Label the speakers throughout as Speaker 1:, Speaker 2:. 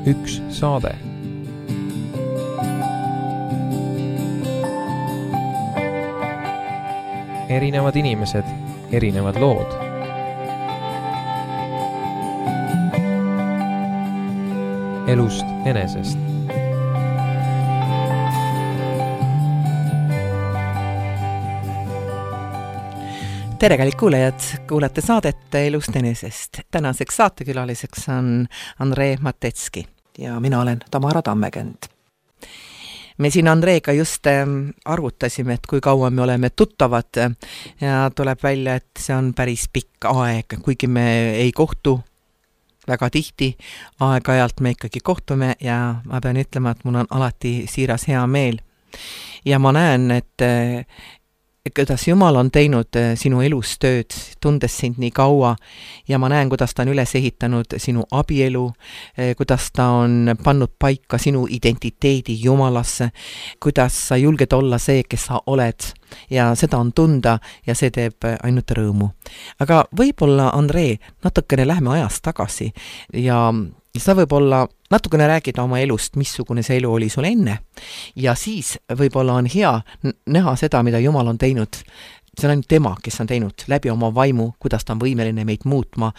Speaker 1: üks saade. Erinevad inimesed, erinevad lood. Elust enesest.
Speaker 2: Tere kallid kuulajad, kuulate saadet Elust enesest. Tänaseks saatekülaliseks on Andrei Matetski ja mina olen Tamara Tammekend. Me siin Andreiga just arvutasime, et kui kaua me oleme tuttavad ja tuleb välja, et see on päris pikk aeg, kuigi me ei kohtu väga tihti, aeg-ajalt me ikkagi kohtume ja ma pean ütlema, et mul on alati siiras hea meel. Ja ma näen, et kuidas Jumal on teinud sinu elus tööd, tundes sind nii kaua ja ma näen, kuidas ta on üles ehitanud sinu abielu, kuidas ta on pannud paika sinu identiteedi Jumalasse, kuidas sa julged olla see, kes sa oled ja seda on tunda ja see teeb ainult rõõmu. Aga võib-olla, Andrei, natukene lähme ajast tagasi ja sa võib-olla natukene räägida oma elust, missugune see elu oli sul enne ja siis võib-olla on hea näha seda, mida Jumal on teinud. See on ainult tema, kes on teinud läbi oma vaimu, kuidas ta on võimeline meid muutma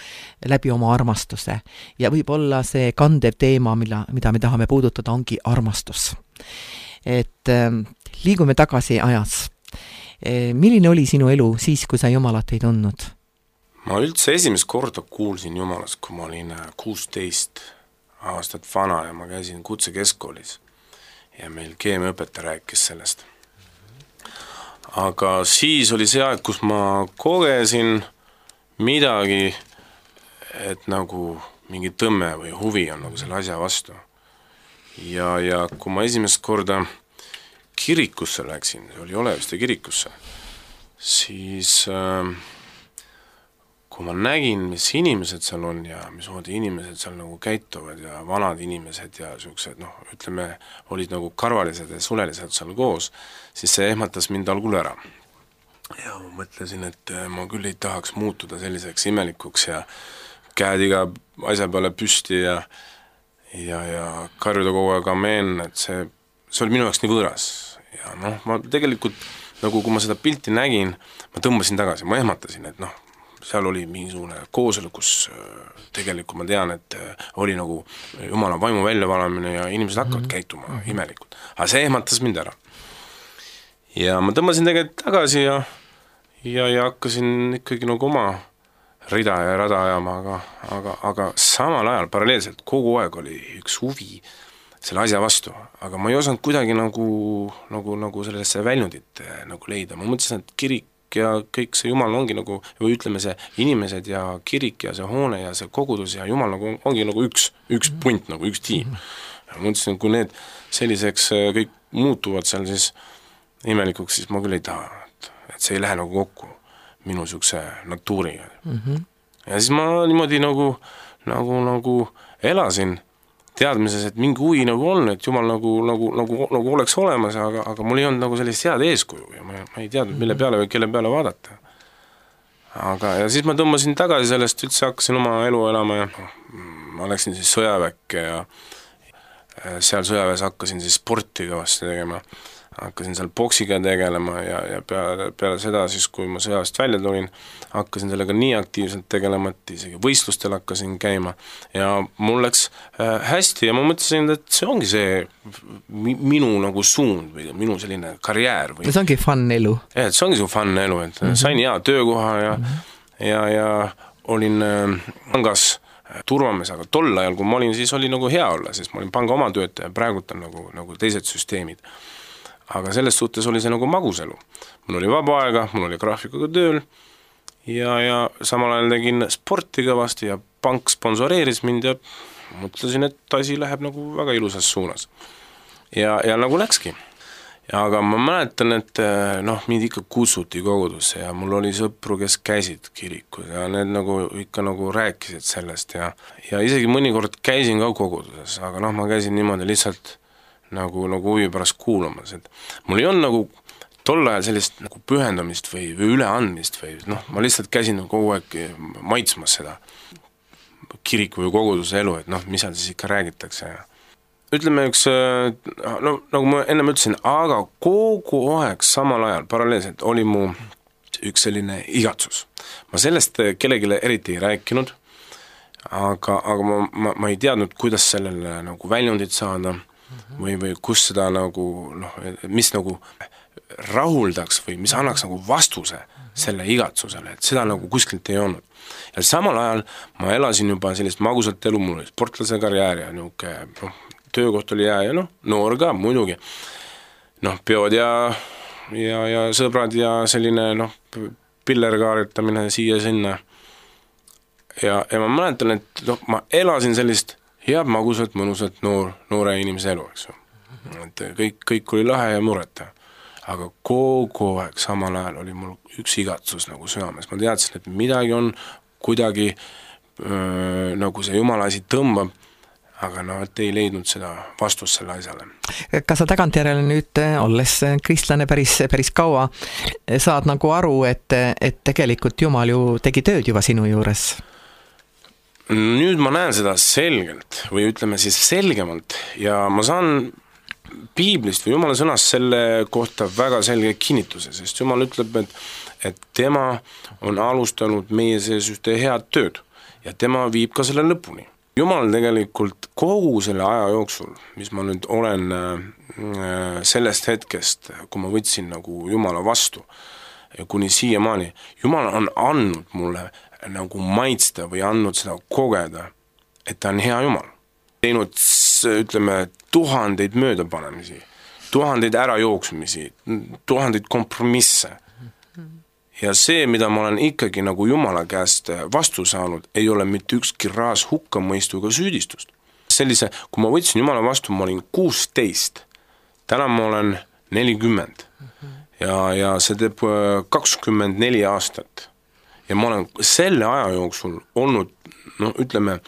Speaker 2: läbi oma armastuse. Ja võib-olla see kandev teema, mida me tahame puudutada, ongi armastus. Et liigume tagasi ajas. Milline oli sinu elu siis, kui sa Jumalat ei tundnud?
Speaker 3: Ma üldse esimest korda kuulsin Jumalast, kui ma olin 16 aastat vana ja ma käisin kutsekeskkoolis ja meil keemiaõpetaja rääkis sellest. Aga siis oli see aeg, kus ma kogesin midagi, et nagu mingi tõmme või huvi on nagu selle asja vastu. Ja kui ma esimest korda kirikusse läksin, see oli Oleviste kirikusse, siis kui ma nägin, mis inimesed seal on ja mis moodi inimesed seal nagu käituvad ja vanad inimesed ja siuksed, ütleme, olid nagu karvalised ja sulelised seal koos, siis see ehmatas mind algul ära. Ja ma mõtlesin, et ma küll ei tahaks muutuda selliseks imelikuks ja käed iga asja peale püsti ja karjuda kogu aeg ameen, et see oli minu jaoks nii võõras. Ja ma tegelikult, nagu kui ma seda pilti nägin, ma tõmbasin tagasi, ma ehmatasin, et seal oli mingisugune kooselu, kus tegelikult ma tean, et oli nagu Jumala vaimu väljavalamine ja inimesed hakkavad käituma imelikult. Aga see ehmatas mind ära. Ja ma tõmbasin tegelikult tagasi ja hakkasin ikkagi nagu oma rida ja rada ajama, aga samal ajal paralleelselt kogu aeg oli üks huvi selle asja vastu, aga ma ei osanud kuidagi nagu sellesse väljundit nagu leida. Ma mõtlesin, et kirik ja kõik see Jumal ongi nagu, või ütleme see inimesed ja kirik ja see hoone ja see kogudus ja Jumal nagu ongi nagu üks punt, nagu üks tiim. Ja ma mõtlesin, kui need selliseks kõik muutuvad seal siis imelikuks, siis ma küll ei taha, et see ei lähe nagu kokku minu siukse natuuriga. Ja siis ma niimoodi nagu elasin teadmises, et mingi huvi nagu on, et Jumal nagu oleks olemas, aga mul ei olnud nagu sellist head eeskuju ja ma ei teadnud, mille peale või kelle peale vaadata. Ja siis ma tõmbasin tagasi sellest, üldse hakkasin oma elu elama ja ma läksin siis sõjaväkke ja seal sõjaväes hakkasin siis sporti kõvasti tegema. Hakkasin seal boksiga tegelema ja peale seda siis, kui ma sõjast välja tulin, hakkasin sellega nii aktiivselt tegelema, et isegi võistlustel hakkasin käima ja mul läks hästi ja ma mõtlesin, et see ongi see minu nagu suund või minu selline karjäär.
Speaker 2: See ongi fun elu.
Speaker 3: Ja, see ongi see fun elu, et sain hea töökoha ja olin pangas turvamees, aga tol ajal, kui ma olin, siis oli nagu hea olla, sest ma olin panga oma töötaja, praegult on nagu teised süsteemid. Aga selles suhtes oli see nagu maguselu. Mul oli vaba aega, mul oli graafikuga tööl ja samal ajal tegin sporti kõvasti ja pank sponsoreeris mind ja mõtlesin, et asi läheb nagu väga ilusas suunas. Ja nagu läkski. Aga ma mäletan, et mind ikka kutsuti kogudusse ja mul oli sõpru, kes käisid kirikus ja need nagu ikka nagu rääkisid sellest ja isegi mõnikord käisin ka koguduses, aga ma käisin niimoodi lihtsalt nagu huvi pärast kuulamas, et mul ei olnud nagu tol ajal sellist nagu pühendamist või üleandmist või ma lihtsalt käisin kogu aeg maitsmas seda. kiriku või koguduse elu, et noh, mis seal siis ikka räägitakse ja ütleme üks, no nagu ma ennem ütlesin, aga kogu aeg samal ajal paralleelselt oli mu üks selline igatsus. Ma sellest kellelegi eriti ei rääkinud, aga ma ei teadnud, kuidas sellele nagu väljundit saada või kus seda nagu, noh, mis nagu rahuldaks või mis annaks nagu vastuse selle igatsusele, et seda nagu kuskilt ei olnud. Ja samal ajal ma elasin juba sellist magusat elu, mul oli sportlase karjäär ja niuke, noh, töökoht oli hea ja noh, noor ka muidugi. Noh, peod ja sõbrad ja selline, noh, pillerkaaritamine siia-sinna. Ja ma mäletan, et noh, ma elasin sellist head, magusat, mõnusat noore inimese elu, eks ju. Et kõik oli lahe ja mureta. Aga kogu aeg samal ajal oli mul üks igatsus nagu südames. Ma teadsin, et midagi on kuidagi nagu see jumala asi tõmbab, aga no, et ei leidnud seda vastust selle asjale.
Speaker 2: Kas sa tagantjärele nüüd, olles kristlane päris kaua, saad nagu aru, et tegelikult Jumal ju tegi tööd juba sinu juures?
Speaker 3: Nüüd ma näen seda selgelt või ütleme siis selgemalt ja ma saan Piiblist või Jumala sõnast selle kohta väga selge kinnituse, sest Jumal ütleb, et tema on alustanud meie sees ühte head tööd ja tema viib ka selle lõpuni. Jumal tegelikult kogu selle aja jooksul, mis ma nüüd olen sellest hetkest, kui ma võtsin nagu Jumala vastu, kuni siiamaani, Jumal on andnud mulle nagu maitsta või andnud seda kogeda, et ta on hea Jumal. Teinud, ütleme, tuhandeid möödapanemisi, tuhandeid ärajooksmisi, tuhandeid kompromisse. Ja see, mida ma olen ikkagi nagu Jumala käest vastu saanud, ei ole mitte ükski raas hukkamõistu ega süüdistust. Sellise, kui ma võtsin Jumala vastu, ma olin 16, täna ma olen 40 ja see teeb 24 aastat. Ja ma olen selle aja jooksul olnud, no ütleme,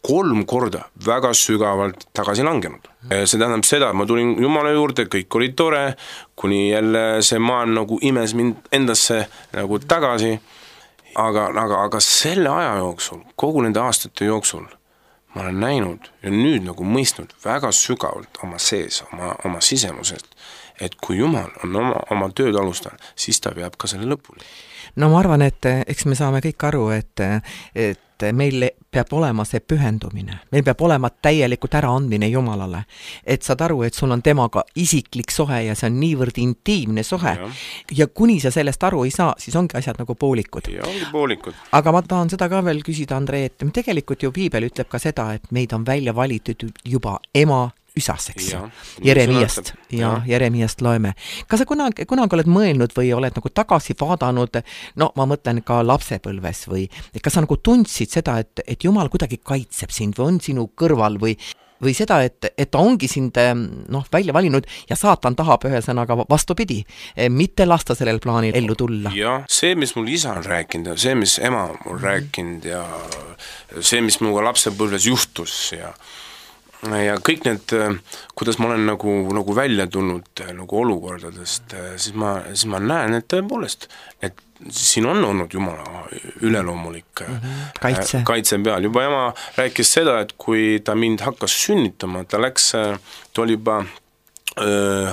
Speaker 3: 3 korda väga sügavalt tagasi langenud. See tähendab seda, et ma tulin Jumala juurde, kõik oli tore, kuni jälle see maailm nagu imes mind endasse nagu tagasi, aga selle aja jooksul, kogu nende aastate jooksul, ma olen näinud ja nüüd nagu mõistnud väga sügavalt oma sees, oma sisemusest, et kui Jumal on oma tööd alustanud, siis ta veab ka selle lõpuni.
Speaker 2: No ma arvan, et eks me saame kõik aru, et meil peab olema see pühendumine, meil peab olema täielikult äraandmine Jumalale, et saad aru, et sul on temaga isiklik sohe ja see on niivõrd intiimne sohe ja kuni sa sellest aru ei saa, siis ongi asjad nagu poolikud.
Speaker 3: Ja ongi poolikud.
Speaker 2: Aga ma tahan seda ka veel küsida, Andrei, et tegelikult ju Piibel ütleb ka seda, et meid on välja valitud juba ema üsaseks. Jeremiast loeme. Kas sa kunagi oled mõelnud või oled nagu tagasi vaadanud, no ma mõtlen ka lapsepõlves või kas sa nagu tundsid seda, et Jumal kuidagi kaitseb sind või on sinu kõrval või seda, et ta ongi sind välja valinud ja saatan tahab ühesõnaga vastupidi, mitte lasta sellel plaanil ellu tulla?
Speaker 3: Ja see, mis mul isa on rääkinud ja see, mis ema on mul rääkinud ja see, mis minuga lapsepõlves juhtus ja kõik need, kuidas ma olen nagu välja tulnud nagu olukordadest, siis ma näen, et tõepoolest, et siin on olnud Jumala üleloomulik kaitse peal. Juba ema rääkis seda, et kui ta mind hakkas sünnitama, ta oli juba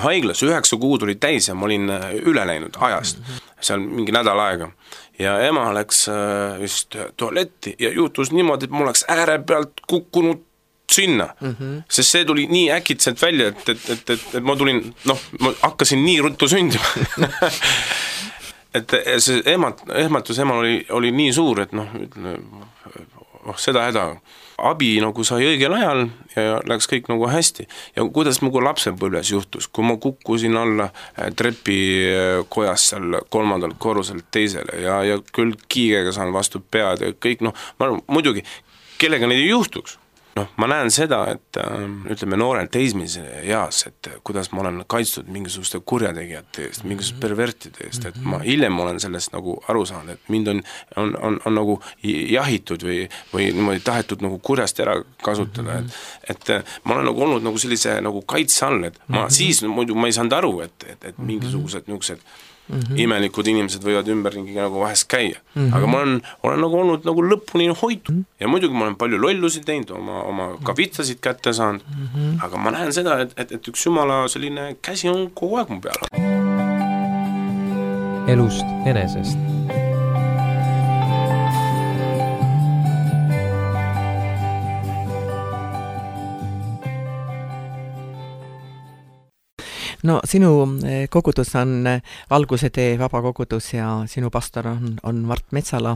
Speaker 3: haiglas, 9 kuud oli täis ja ma olin üle läinud ajast, seal mingi nädal aega. Ja ema läks just tualetti ja juhtus niimoodi, et mul läks ääre pealt kukkunud sinna, sest see tuli nii äkitselt välja, et ma tulin, ma hakkasin nii ruttu sündima. Et see ehmatus emal oli nii suur, et seda häda. Abi nagu sai õigel ajal ja läks kõik nagu hästi. Ja kuidas mu lapsepõlves juhtus, kui ma kukkusin alla trepikojas seal 3. korruselt teisele ja küll kiigega saan vastu pead ja kõik, muidugi, kellega neid ei juhtuks. Ma näen seda, et ütleme noorel teismise eas, et kuidas ma olen kaitstud mingisuguste kurjategijate eest, mingisuguste pervertide eest, et ma hiljem olen sellest nagu aru saanud, et mind on nagu jahitud või niimoodi tahetud nagu kurjast ära kasutada, et ma olen nagu olnud nagu sellise nagu kaitse all, et ma siis muidu ma ei saanud aru, et mingisugused niisugused imelikud inimesed võivad ümberringi nagu vahest käia. Aga ma olen nagu olnud nagu lõpuni hoitud. Ja muidugi ma olen palju lollusid teinud, oma kavitsasid kätte saanud, aga ma näen seda, et üks Jumala selline käsi on kogu aeg mu peal.
Speaker 1: Elust enesest.
Speaker 2: No sinu kogudus on Valguse tee vabakogudus ja sinu pastor on Mart Metsala.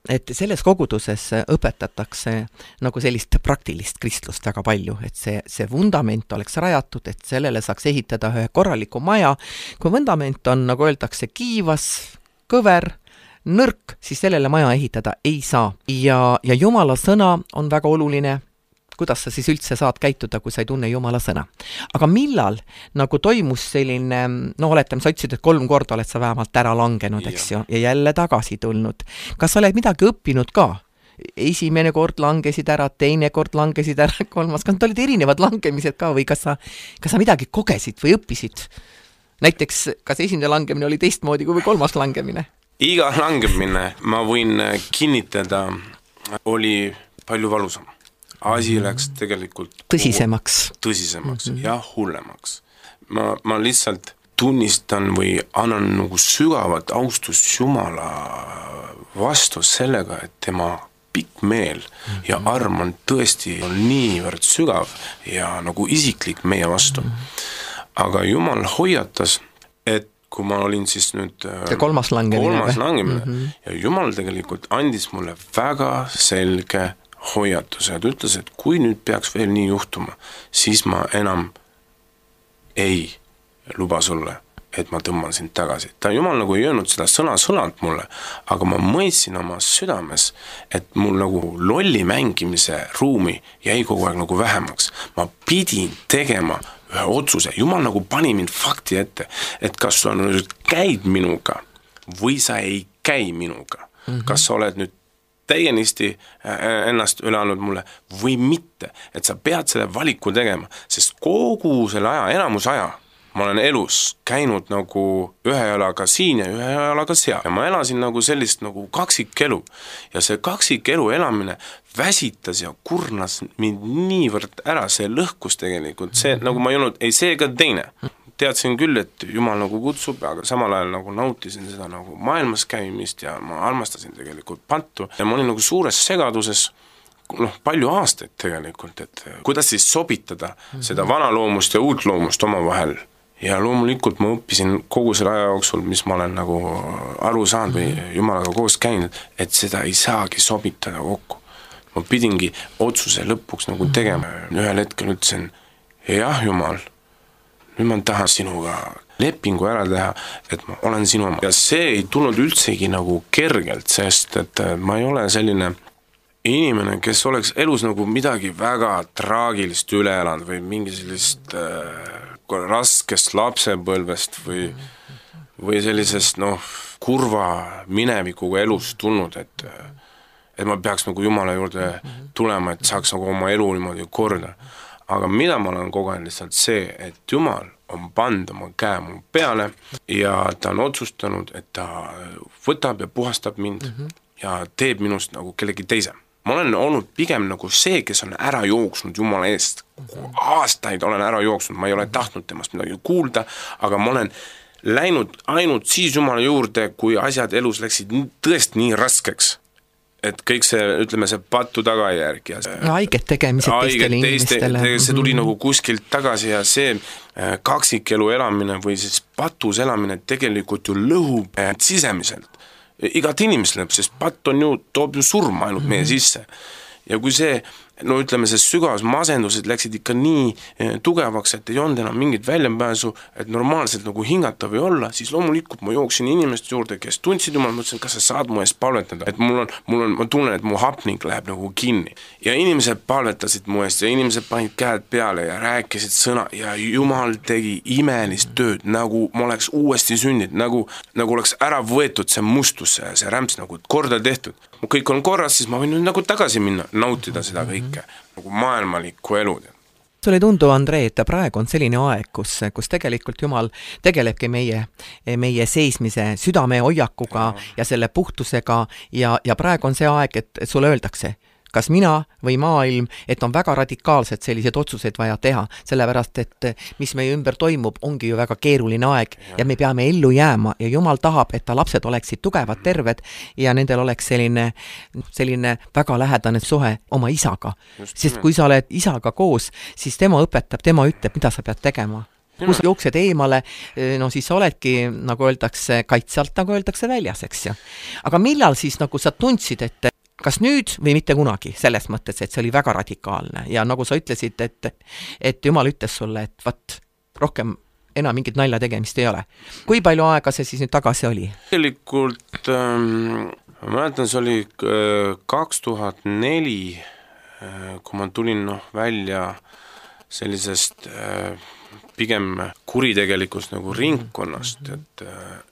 Speaker 2: Et selles koguduses õpetatakse nagu sellist praktilist kristlust väga palju, et see vundament oleks rajatud, et sellele saaks ehitada ühe korraliku maja. Kui vundament on, nagu öeldakse, kiivas, kõver, nõrk, siis sellele maja ehitada ei saa. Ja Jumala sõna on väga oluline, kuidas sa siis üldse saad käituda, kui sa ei tunne Jumala sõna. Aga millal nagu toimus selline, oletame, sa ütlesid, et 3 korda oled sa vähemalt ära langenud, eks ju, ja jälle tagasi tulnud. Kas sa oled midagi õppinud ka? Esimene kord langesid ära, teine kord langesid ära, 3. Kas need olid erinevad langemised ka või kas sa midagi kogesid või õppisid? Näiteks, kas esimene langemine oli teistmoodi kui 3. langemine?
Speaker 3: Iga langemine, ma võin kinnitada, oli palju valusam. Asi läks tegelikult
Speaker 2: tõsisemaks
Speaker 3: ja hullemaks. Ma lihtsalt tunnistan või annan nagu sügavat austust Jumala vastu sellega, et tema pikk meel ja arm on tõesti niivõrd sügav ja nagu isiklik meie vastu. Aga Jumal hoiatas, et kui ma olin siis nüüd
Speaker 2: kolmas langemine
Speaker 3: ja Jumal tegelikult andis mulle väga selge hoiatuse, et ütles, et kui nüüd peaks veel nii juhtuma, siis ma enam ei luba sulle, et ma tõmban sind tagasi. Ta Jumal nagu ei öelnud seda sõna-sõnalt mulle, aga ma mõistsin oma südames, et mul nagu lolli mängimise ruumi jäi kogu aeg nagu vähemaks. Ma pidin tegema ühe otsuse. Jumal nagu pani mind fakti ette, et kas sa nüüd käid minuga või sa ei käi minuga. Kas sa oled nüüd täienisti ennast üle andnud mulle või mitte, et sa pead selle valiku tegema, sest kogu selle aja, enamus aja, ma olen elus käinud nagu ühe jalaga siin ja ühe jalaga seal ja ma elasin nagu sellist nagu kaksikelu ja see kaksikelu elamine väsitas ja kurnas mind niivõrd ära, see lõhkus tegelikult, see nagu ma ei olnud, ei see ega teine. Teadsin küll, et Jumal nagu kutsub, aga samal ajal nagu nautisin seda nagu maailmas käimist ja ma armastasin tegelikult pattu ja ma olin nagu suures segaduses palju aastaid tegelikult, et kuidas siis sobitada seda vana loomust ja uut loomust oma vahel. Ja loomulikult ma õppisin kogu selle aja jooksul, mis ma olen nagu aru saanud või Jumalaga koos käinud, et seda ei saagi sobitada kokku. Ma pidingi otsuse lõpuks nagu tegema. Ühel hetkel ütlesin, jah Jumal, nüüd ma tahan sinuga lepingu ära teha, et ma olen sinu oma. Ja see ei tulnud üldsegi nagu kergelt, sest et ma ei ole selline inimene, kes oleks elus nagu midagi väga traagilist üle elanud või mingi sellist raskest lapsepõlvest või sellisest kurva minevikuga elus tulnud, et ma peaks nagu Jumala juurde tulema, et saaks nagu oma elu niimoodi korda. Aga mida ma olen kogenud lihtsalt see, et Jumal on pannud oma käe mu peale ja ta on otsustanud, et ta võtab ja puhastab mind ja teeb minust nagu kellegi teise. Ma olen olnud pigem nagu see, kes on ära jooksnud Jumala eest. Aastaid olen ära jooksnud, ma ei ole tahtnud temast midagi kuulda, aga ma olen läinud ainult siis Jumala juurde, kui asjad elus läksid tõesti nii raskeks. Et kõik see, ütleme, see pattu tagajärg ja
Speaker 2: haiget tegemised teistele inimestele.
Speaker 3: See tuli nagu kuskilt tagasi ja see kaksikelu elamine või siis patus elamine tegelikult ju lõhub sisemiselt. Igat inimesele, sest patt on ju, toob ju surma ainult meie sisse. Ja kui see, ütleme, see sügavas masendused läksid ikka nii tugevaks, et ei olnud enam mingit väljapääsu, et normaalselt nagu hingata või olla, siis loomulikult ma jooksin inimeste juurde, kes tundsid Jumal, mõtlesin, kas sa saad mu eest palvetada, et ma tunnen, et mu hapnik läheb nagu kinni. Ja inimesed palvetasid mu eest ja inimesed panid käed peale ja rääkisid sõna ja Jumal tegi imelist tööd, nagu ma oleks uuesti sünnid, nagu oleks ära võetud see mustus, see rämps nagu korda tehtud. Kõik on korras, siis ma võin nüüd nagu tagasi minna, nautida seda kõike, nagu maailmalikku elu.
Speaker 2: Sulle ei tundu, Andrei, et praegu on selline aeg, kus tegelikult Jumal tegelebki meie seismise südame hoiakuga ja selle puhtusega ja praegu on see aeg, et sulle öeldakse, kas mina või maailm, et on väga radikaalselt sellised otsuseid vaja teha, sellepärast, et mis meie ümber toimub, ongi ju väga keeruline aeg ja me peame ellu jääma ja Jumal tahab, et ta lapsed oleksid tugevad, terved ja nendel oleks selline väga lähedane suhe oma isaga. Sest kui sa oled isaga koos, siis tema õpetab, tema ütleb, mida sa pead tegema. Kui sa jooksed eemale, no siis sa oledki, nagu öeldakse, kaitsalt, nagu öeldakse väljas, eks ju. Aga millal siis nagu sa tundsid, et kas nüüd või mitte kunagi, selles mõttes, et see oli väga radikaalne ja nagu sa ütlesid, et Jumal ütles sulle, et vaat, rohkem enam mingit nalja tegemist ei ole. Kui palju aega see siis nüüd tagasi oli?
Speaker 3: Tegelikult, ma mäletan, see oli 2004, kui ma tulin välja sellisest pigem kuritegelikust nagu ringkonnast, et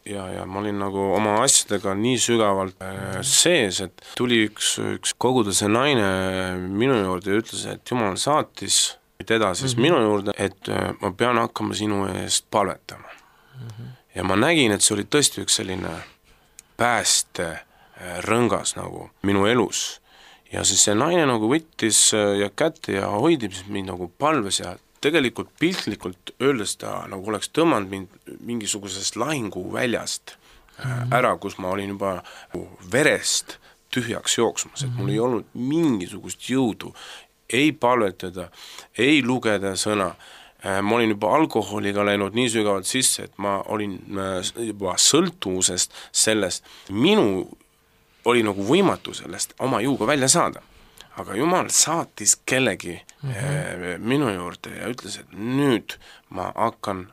Speaker 3: ja ma olin nagu oma asjadega nii sügavalt sees, et tuli üks koguduse naine minu juurde ja ütles, et Jumal saatis teda siis minu juurde, et ma pean hakkama sinu eest palvetama. Ja ma nägin, et see oli tõesti üks selline pääste rõngas nagu minu elus. Ja siis see naine nagu võttis ja kätte ja hoidib mind nagu palves ja tegelikult piltlikult öeldes ta nagu oleks tõmmanud mind mingisugusest lahinguväljast ära, kus ma olin juba verest tühjaks jooksmas, et mul ei olnud mingisugust jõudu, ei palvetada, ei lugeda sõna. Ma olin juba alkoholiga läinud nii sügavalt sisse, et ma olin juba sõltuvusest sellest. Minu oli nagu võimatu sellest oma jõuga välja saada. Aga Jumal saatis kellegi minu juurde ja ütles, et nüüd ma hakkan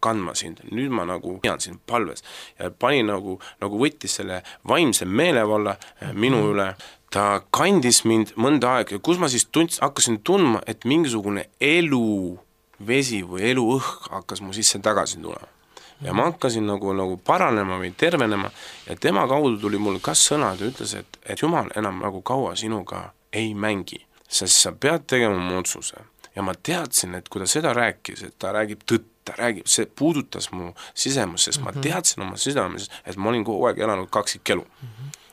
Speaker 3: kandma sind, nüüd ma nagu pean sind palves ja pani nagu võttis selle vaimse meelevalla minu üle. Ta kandis mind mõnda aega ja kus ma siis hakkasin tundma, et mingisugune eluvesi või eluõhk hakkas mu sisse tagasi tulema. Ja ma hakkasin nagu paranema või tervenema ja tema kaudu tuli mul kas sõna, ta ütles, et Jumal enam nagu kaua sinuga ei mängi, sest sa pead tegema oma otsuse. Ja ma teadsin, et kui ta seda rääkis, et ta räägib tõtt, see puudutas mu sisemus, sest ma teadsin oma sisemus, et ma olin kogu aeg elanud kaksikelu.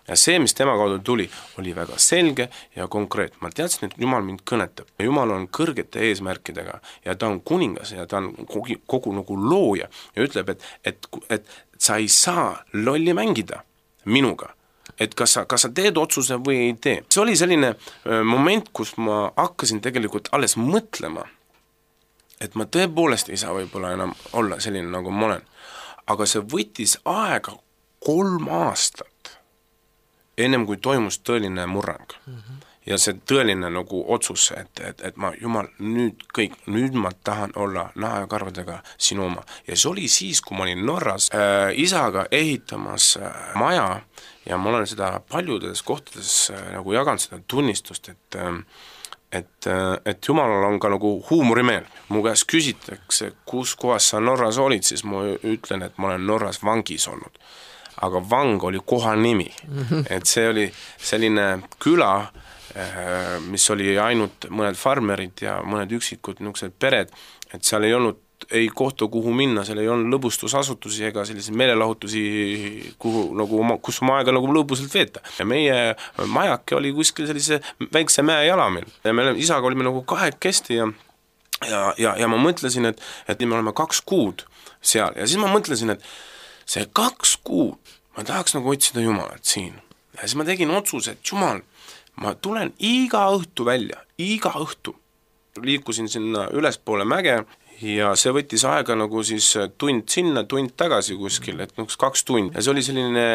Speaker 3: Ja see, mis tema kaudu tuli, oli väga selge ja konkreet. Ma teadsin, et Jumal mind kõnetab. Jumal on kõrgete eesmärkidega ja ta on kuningas ja ta on kogu nagu looja ja ütleb, et sa ei saa lolli mängida minuga. Et kas sa teed otsuse või ei tee. See oli selline moment, kus ma hakkasin tegelikult alles mõtlema, et ma tõepoolest ei saa võib-olla enam olla selline, nagu ma olen. Aga see võttis aega 3 aastat, ennem kui toimus tõeline murrang. Ja see tõeline nagu otsus, et ma, Jumal, nüüd ma tahan olla naha ja karvadega sinu oma. Ja see oli siis, kui ma olin Norras isaga ehitamas maja ja ma olen seda paljudes kohtades nagu jaganud seda tunnistust, et Jumalal on ka nagu huumorimeel. Mu käest küsitakse, kus kohas sa Norras olid, siis ma ütlen, et ma olen Norras vangis olnud. Aga vang oli koha nimi. Et see oli selline küla, mis oli ainult mõned farmerid ja mõned üksikud niisugused pered, et seal ei olnud ei kohta, kuhu minna, seal ei olnud lõbustusasutusi ega selliseid meelelahutusi, kus oma aega nagu lõbusalt veeta. Ja meie majake oli kuskil sellise väikse mäe jalamil. Ja me isaga olime nagu 2 ja ma mõtlesin, et me oleme 2 kuud seal. Ja siis ma mõtlesin, et see 2 kuud ma tahaks nagu otsida Jumalat siin. Ja siis ma tegin otsuse, et Jumal, ma tulen iga õhtu välja, iga õhtu. Liikusin sinna ülespoole mäge ja see võttis aega nagu siis tund sinna, tund tagasi kuskil, et 2 tundi. Ja see oli selline,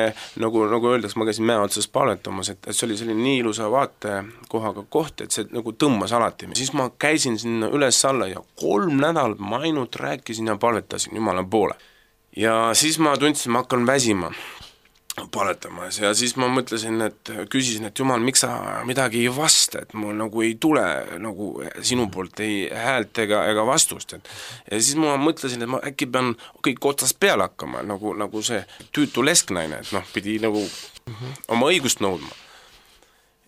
Speaker 3: nagu öeldaks, ma käisin mäe otsas palvetamas, et see oli selline nii ilusa vaatekohaga koht, et see nagu tõmbas alati. Siis ma käisin sinna üles alla ja 3 nädalat ma ainult rääkisin ja palvetasin Jumala poole. Ja siis ma tundsin, ma hakkan väsima paletamas ja siis ma mõtlesin, küsisin, et Jumal, miks sa midagi ei vasta, et mul nagu ei tule nagu sinu poolt ei häält ega vastust. Ja siis ma mõtlesin, et ma äkki pean kõik otsast peale hakkama, nagu see tüütu lesknaine, et pidi nagu oma õigust nõudma.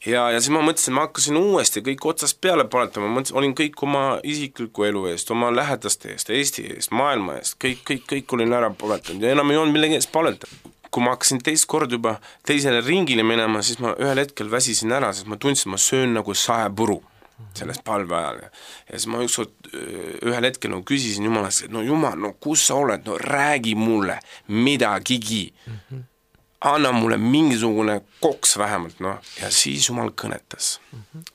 Speaker 3: ja siis ma mõtlesin, ma hakkasin uuesti kõik otsast peale paletama, ma mõtlesin, olin kõik oma isikliku elu eest, oma lähedaste eest, Eesti eest, maailma eest, kõik olin ära paletanud ja enam ei olnud millegi eest paletada. Kui ma hakkasin teist kord juba teisele ringile minema, siis ma ühel hetkel väsisin ära, sest ma tundsin, ma söön nagu saepuru selles palve ajal. Ja siis ma ükskord ühel hetkel no, küsisin Jumalast, et no Jumal, no kus sa oled, no räägi mulle midagigi. Anna mulle mingisugune koks vähemalt, no. Ja siis Jumal kõnetas.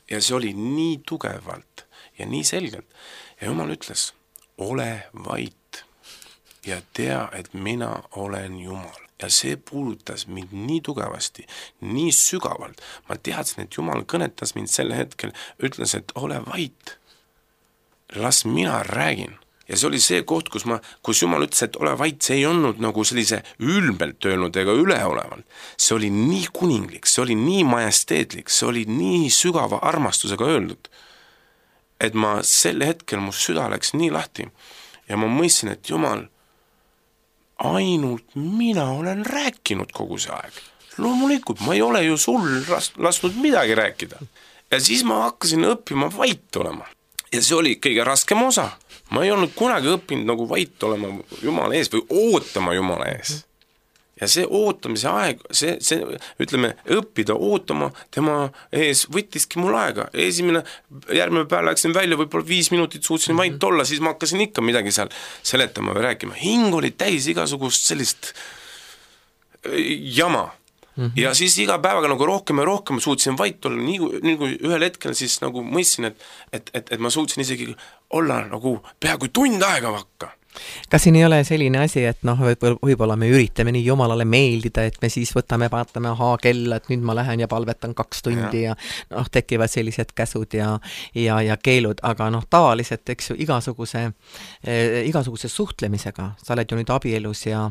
Speaker 3: Ja see oli nii tugevalt ja nii selgelt. Ja Jumal ütles, ole vait ja tea, et mina olen Jumal. Ja see puudutas mind nii tugevasti, nii sügavalt. Ma teadsin, et Jumal kõnetas mind sel hetkel, ütles, et ole vait. Las mina räägin. Ja see oli see koht, kus Jumal ütles, et ole vait, see ei olnud nagu sellise ülbelt öelnud ega üleolevalt. See oli nii kuninglik, see oli nii majesteetlik, see oli nii sügava armastusega öeldud, et ma sel hetkel mu süda läks nii lahti ja ma mõistsin, et Jumal, ainult mina olen rääkinud kogu see aeg. Loomulikult, ma ei ole ju sul lasknud midagi rääkida. Ja siis ma hakkasin õppima vait olema. Ja see oli kõige raskem osa. Ma ei olnud kunagi õppinud nagu vait olema Jumala ees või ootama Jumala ees. Ja see ootamise aeg, see ütleme, õppida ootama tema ees võttiski mul aega. Järgmine päev läksin välja, võib-olla 5 minutit suutsin vait olla, siis ma hakkasin ikka midagi seal seletama või rääkima. Hing oli täis igasugust sellist jama. Ja siis iga päevaga nagu rohkem ja rohkem suutsin vait olla, nii kui ühel hetkel siis nagu mõistsin, et ma suutsin isegi olla nagu peaaegu tund aega vakka.
Speaker 2: Kas siin ei ole selline asi, et võib-olla me üritame nii Jumalale meeldida, et me siis vaatame kella, et nüüd ma lähen ja palvetan 2 tundi ja tekivad sellised käsud ja keelud, aga tavaliselt, eks ju, igasuguse suhtlemisega, sa oled ju nüüd abielus ja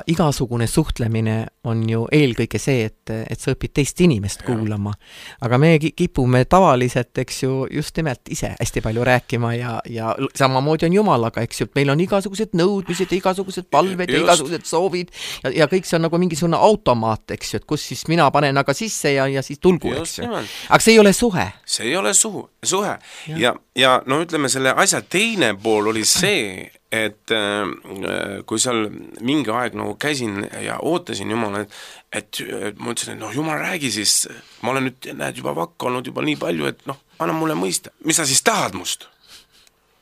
Speaker 2: igasugune suhtlemine on ju eelkõige see, et sa õpid teist inimest kuulama. Aga me kipume tavaliselt, eks ju, just nimelt ise hästi palju rääkima ja samamoodi on Jumalaga, eks ju, meil on igasugused nõudmised, igasugused palved ja igasugused soovid ja kõik see on nagu mingisugune automaat, eks ju, et kus siis mina panen aga sisse ja siis tulgu, eks ju. Aga see ei ole suhe.
Speaker 3: See ei ole suhe. Ja no ütleme, selle asja teine pool oli see, et kui seal mingi aeg nagu käisin ja ootasin Jumala, et ma ütlesin, et Jumal räägi siis, ma olen nüüd, näed, juba vakka olnud juba nii palju, et anna mulle mõista, mis sa siis tahad must?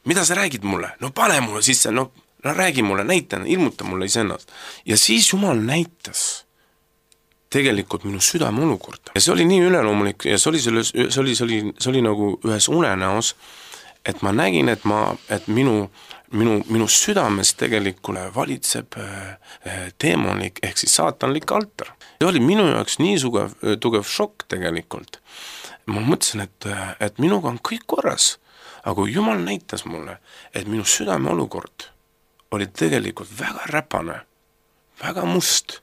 Speaker 3: Mida sa räägid mulle? No pane mulle sisse, no räägi mulle, näita, ilmuta mulle iseennast. Ja siis Jumal näitas tegelikult minu südame olukorda. Ja see oli nii üleloomulik ja see oli nagu ühes unenäos, et ma nägin, et minu südames tegelikult valitseb teemonlik ehk siis saatanlik altar. See oli minu jaoks nii tugev šokk tegelikult. Ma mõtlesin, et minuga on kõik korras. Aga kui Jumal näitas mulle, et minu südame olukord oli tegelikult väga räpane, väga must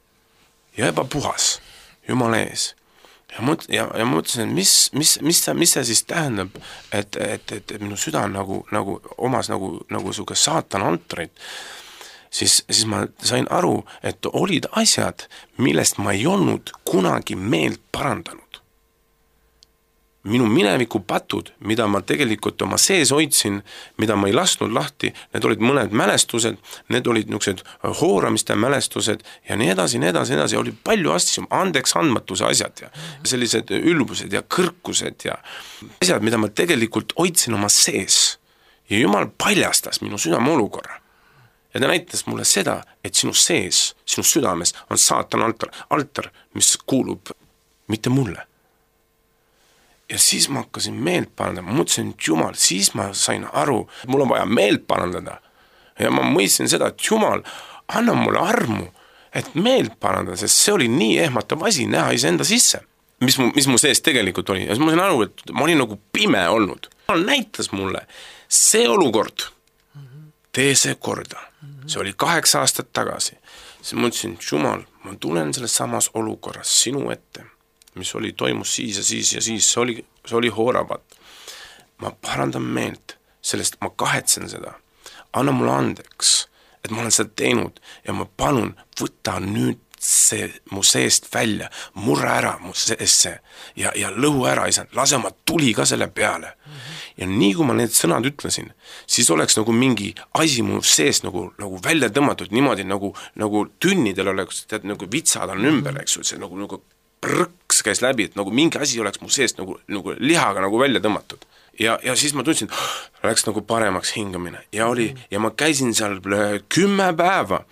Speaker 3: ja ebapuhas Jumala ees. Ja ma mõtlesin, et mis see siis tähendab, et minu süda nagu omas nagu suke saatan altrit, siis ma sain aru, et olid asjad, millest ma ei olnud kunagi meelt parandanud. Minu mineviku patud, mida ma tegelikult oma sees hoidsin, mida ma ei lasknud lahti, need olid mõned mälestused, need olid niisugused hooramiste mälestused ja nii edasi, oli palju asju, andeks andmatuse asjad ja sellised ülbused ja kõrkused ja asjad, mida ma tegelikult hoidsin oma sees. Ja Jumal paljastas minu südame olukorra. Ja ta näitas mulle seda, et sinu sees, sinu südames on saatan altar, mis kuulub mitte mulle. Ja siis ma hakkasin meelt parandama, ma mõtlesin, et Jumal, siis ma sain aru, et mul on vaja meelt parandada. Ja ma mõistsin seda, et Jumal, anna mulle armu, et meelt parandada, sest see oli nii ehmatav asi näha iseenda sisse, mis mu sees tegelikult oli. Ja siis ma sain aru, et ma olin nagu pime olnud. Jumal näitas mulle see olukord, tee see korda. See oli 8 aastat tagasi. Siis ma mõtlesin, et Jumal, ma tulen selles samas olukorras sinu ette, mis toimus siis ja siis, see oli hooravat. Ma parandan meelt, sellest ma kahetsen seda. Anna mulle andeks, et ma olen seda teinud ja ma palun, võta nüüd see mu seest välja, murra ära mu seest see ja lõhu ära, isand, lase oma tuli ka selle peale. Ja nii kui ma need sõnad ütlesin, siis oleks nagu mingi asi mu seest nagu välja tõmmatud niimoodi, nagu tünnidel oleks, tead, nagu vitsad on ümber, eks ju, see nagu prõks käis läbi, et nagu mingi asi oleks mu seest nagu lihaga nagu välja tõmmatud. Ja siis ma tundsin, läks nagu paremaks hingamine ja ma käisin seal 10 päeva,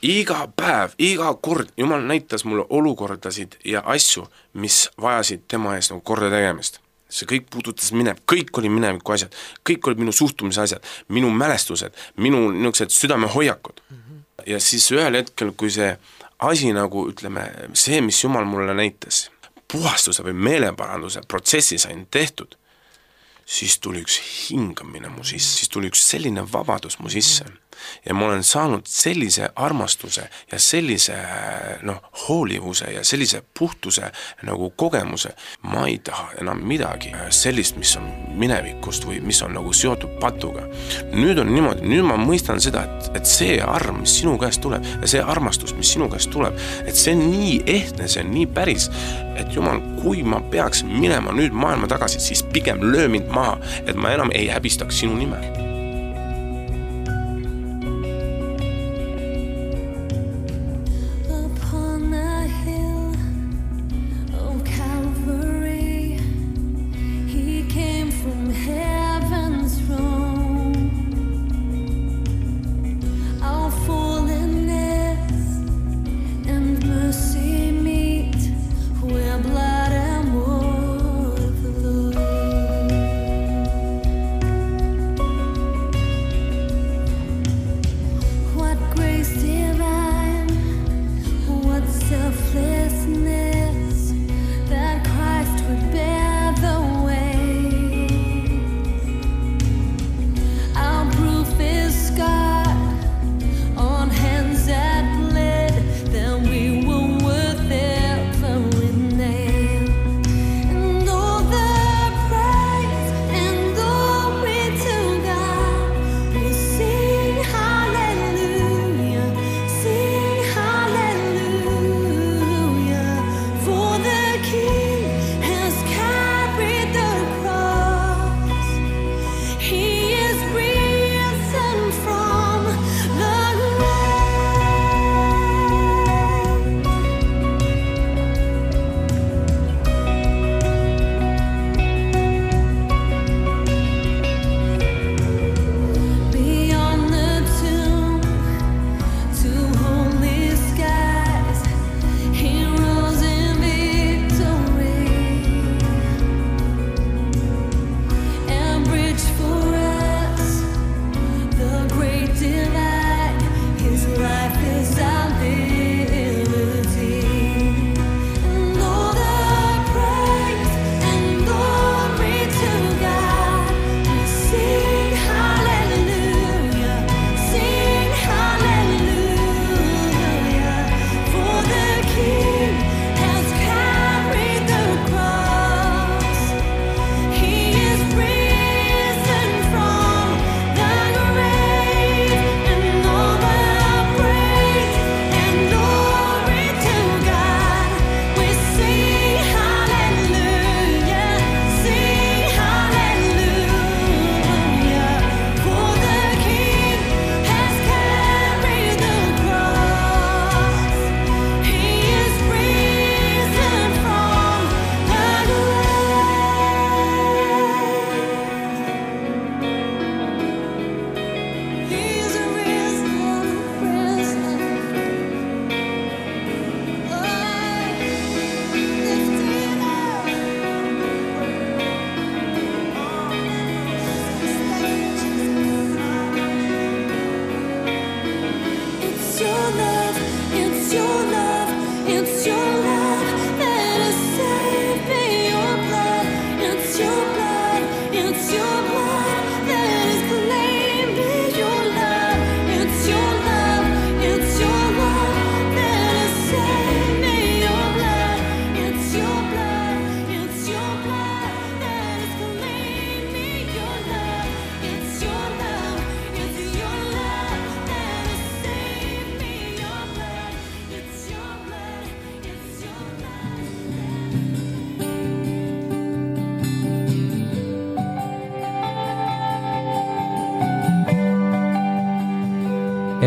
Speaker 3: iga päev, iga kord, Jumal näitas mulle olukordasid ja asju, mis vajasid tema ees nagu korda tegemist. See kõik puudutas kõik oli mineviku asjad, kõik olid minu suhtumise asjad, minu mälestused, minu niisugused südamehoiakud. Ja siis ühel hetkel, kui see asi nagu, ütleme, see, mis Jumal mulle näitas, puhastuse või meeleparanduse protsessi sain tehtud, siis tuli üks hingamine mu sisse, siis tuli üks selline vabadus mu sisse. Ja ma olen saanud sellise armastuse ja sellise hoolivuse ja sellise puhtuse nagu kogemuse. Ma ei taha enam midagi sellist, mis on minevikust või mis on nagu seotud patuga. Nüüd on niimoodi, nüüd ma mõistan seda, et see arm, mis sinu käest tuleb ja see armastus, mis sinu käest tuleb, et see on nii ehtne, see on nii päris, et Jumal, kui ma peaks minema nüüd maailma tagasi, siis pigem löö mind maha, et ma enam ei häbistaks sinu nime.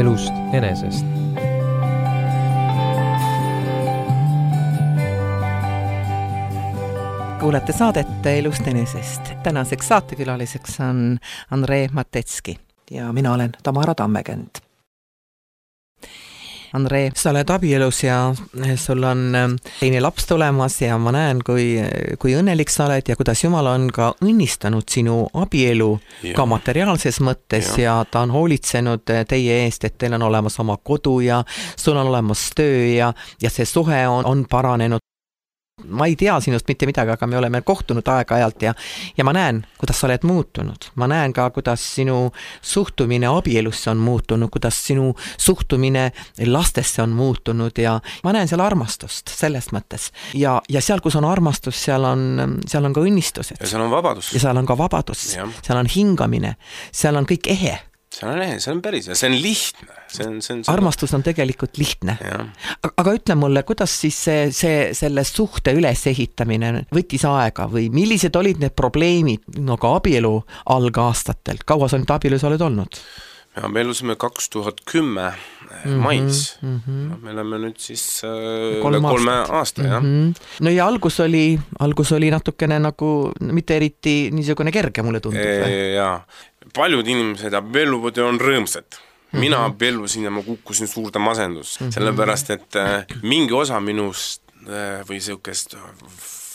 Speaker 1: elust enesest.
Speaker 2: Kuulete saadet Elust enesest. Tänaseks saatekülaliseks on Andrei Matetski ja mina olen Tamara Tammekend. Andrei, sa oled abielus ja sul on teine laps tulemas ja ma näen, kui õnnelik sa oled ja kuidas Jumal on ka õnnistanud sinu abielu ka materiaalses mõttes ja ta on hoolitsenud teie eest, et teil on olemas oma kodu ja sul on olemas töö ja see suhe on paranenud. Ma ei tea sinust mitte midagi, aga me oleme kohtunud aeg-ajalt ja ma näen, kuidas sa oled muutunud. Ma näen ka, kuidas sinu suhtumine abielusse on muutunud, kuidas sinu suhtumine lastesse on muutunud ja ma näen seal armastust selles mõttes. Ja seal, kus on armastus, seal on ka õnnistused.
Speaker 3: Ja seal on vabadus.
Speaker 2: Ja seal on ka vabadus. Seal on hingamine. Seal on kõik ehe.
Speaker 3: See on päris ja see on lihtne.
Speaker 2: Armastus on tegelikult lihtne. Aga ütle mulle, kuidas siis selle suhte ülesehitamine võttis aega või millised olid need probleemid ka abielu algaastatel? Kaua sa nüüd abielus oled olnud?
Speaker 3: Me abiellusime 2010 mais. Me oleme nüüd siis 3 aasta.
Speaker 2: No ja algus oli natukene nagu mitte eriti niisugune kerge, mulle tundub.
Speaker 3: Jaa. Paljud inimesed abielluvad ja on rõõmsad. Mina abiellusin ja ma kukkusin suurde masendus. Sellepärast, et mingi osa minust või sellist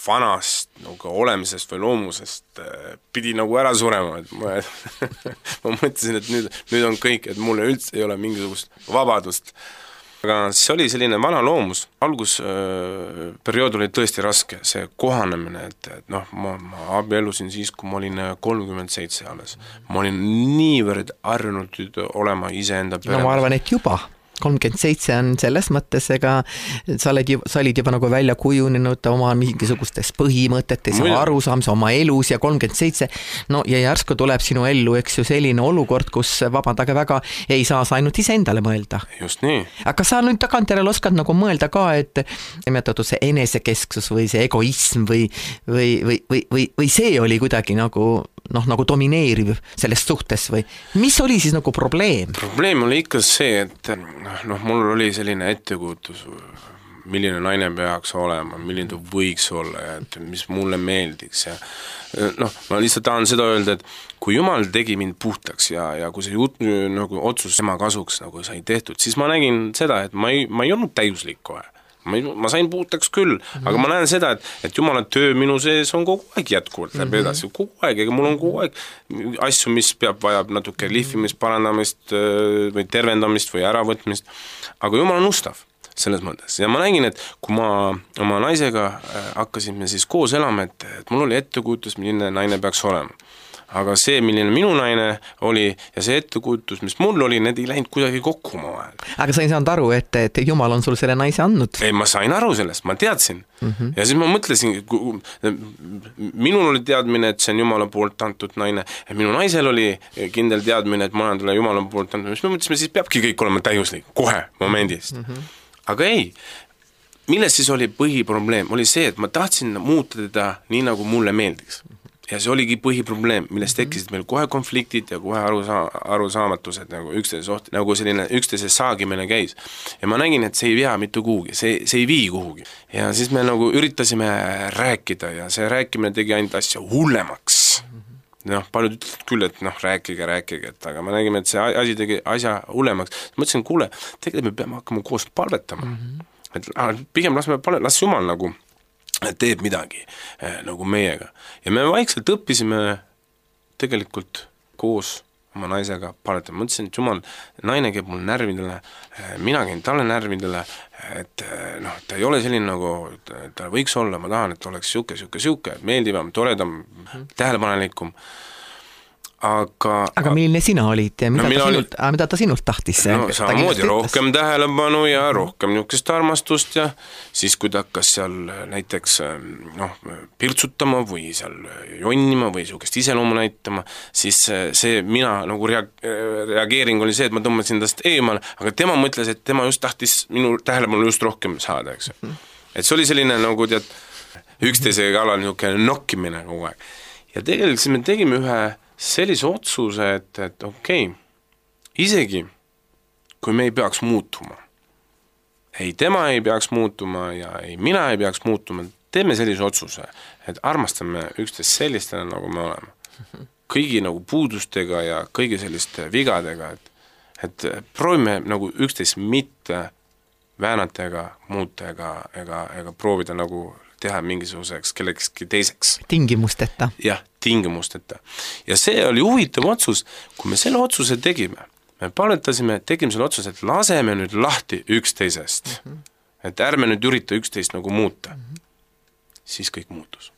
Speaker 3: vanast nagu olemisest või loomusest pidi nagu ära surema. Ma mõtlesin, et nüüd on kõik, et mulle üldse ei ole mingisugust vabadust. Aga see oli selline vana loomus. Algusperiood oli tõesti raske, see kohanemine, et ma abiellusin siis, kui ma olin 37 alles. Ma olin niivõrd harjunud olema iseenda pere.
Speaker 2: No ma arvan, et juba 37 on selles mõttes, ega sa olid juba nagu välja kujunenud oma mingisugustes põhimõtetes ja arusaamise oma elus ja 37. No ja järsku tuleb sinu ellu, eks ju, selline olukord, kus vabandage väga, ei saa sa ainult ise endale mõelda.
Speaker 3: Just nii.
Speaker 2: Aga sa nüüd tagantjärele oskad nagu mõelda ka, et nimetatud see enesekesksus või see egoism või see oli kuidagi nagu domineeriv selles suhtes või mis oli siis nagu probleem?
Speaker 3: Probleem oli ikka see, et mul oli selline ettekujutus, milline naine peaks olema, milline ta võiks olla ja et mis mulle meeldiks ja ma lihtsalt tahan seda öelda, et kui Jumal tegi mind puhtaks ja kui see otsus tema kasuks nagu sai tehtud, siis ma nägin seda, et ma ei olnud täiuslik kohe. Ma sain puhtaks küll, aga ma näen seda, et Jumala töö minu sees on kogu aeg jätkuvalt läbi edasi, kogu aeg, ega mul on kogu aeg asju, mis vajab natuke lihvimist, parandamist või tervendamist või äravõtmist, aga Jumal on ustav selles mõttes. Ja ma nägin, et kui ma oma naisega hakkasime siis koos elama, et mul oli ettekujutus, milline naine peaks olema. Aga see, milline minu naine oli ja see ettekujutus, mis mul oli, need ei läinud kuidagi kokku oma vahel.
Speaker 2: Aga sa ei saanud aru, et Jumal on sul selle naise andnud?
Speaker 3: Ei, ma sain aru sellest, ma teadsin. Ja siis ma mõtlesin, minul oli teadmine, et see on Jumala poolt antud naine. Ja minu naisel oli kindel teadmine, et ma olen talle Jumala poolt antud. Mis me mõtlesime, siis peabki kõik olema täiuslik, kohe momendist. Aga ei, milles siis oli põhiprobleem? Oli see, et ma tahtsin muuta teda nii, nagu mulle meeldiks. Ja see oligi põhiprobleem, millest tekkisid meil kohe konfliktid ja kohe arusaamatused nagu üksteise saagimine käis. Ja ma nägin, et see ei vea mitte kuhugi, see ei vii kuhugi. Ja siis me nagu üritasime rääkida ja see rääkimine tegi ainult asja hullemaks. Paljud ütlesid küll, et rääkige, aga me nägime, et see asi tegi asja hullemaks. Mõtlesin, kuule, tegelikult me peame hakkama koos palvetama. Et pigem las Jumal nagu teeb midagi nagu meiega. Ja me vaikselt õppisime tegelikult koos oma naisega paletama. Mõtlesin, et Jumal, naine käib mul närvidele, mina käin talle närvidele, et ta ei ole selline nagu ta võiks olla, ma tahan, et oleks siuke, meeldivam, toredam, tähelepanelikum. Aga
Speaker 2: milline sina olid ja mida ta sinult tahtis?
Speaker 3: Samamoodi rohkem tähelepanu ja rohkem niisugust armastust ja siis kui ta hakkas seal näiteks pirtsutama või seal jonnima või niisugust iseloomu näitama, siis see mina nagu reageering oli see, et ma tõmbasin tast eemale, aga tema mõtles, et tema just tahtis minu tähelepanu just rohkem saada, eks. Et see oli selline nagu üksteise kallal niisugune nokkimine kogu aeg. Ja tegelikult me tegime ühe sellise otsuse, et okei, isegi kui me ei peaks muutuma. Ei tema ei peaks muutuma ja ei mina ei peaks muutuma, teeme sellise otsuse, et armastame üksteist sellistele, nagu me oleme. Kõigi nagu puudustega ja kõigi selliste vigadega, et proovime nagu üksteist mitte väänata ega muuta ega proovida nagu teha mingisuguseks kellekski teiseks.
Speaker 2: Tingimusteta.
Speaker 3: Jah, tingimusteta. Ja see oli huvitav otsus, kui me selle otsuse tegime. Me palvetasime, tegime selle otsuse, et laseme nüüd lahti üksteisest. Et ärme nüüd ürita üksteist nagu muuta. Siis kõik muutus.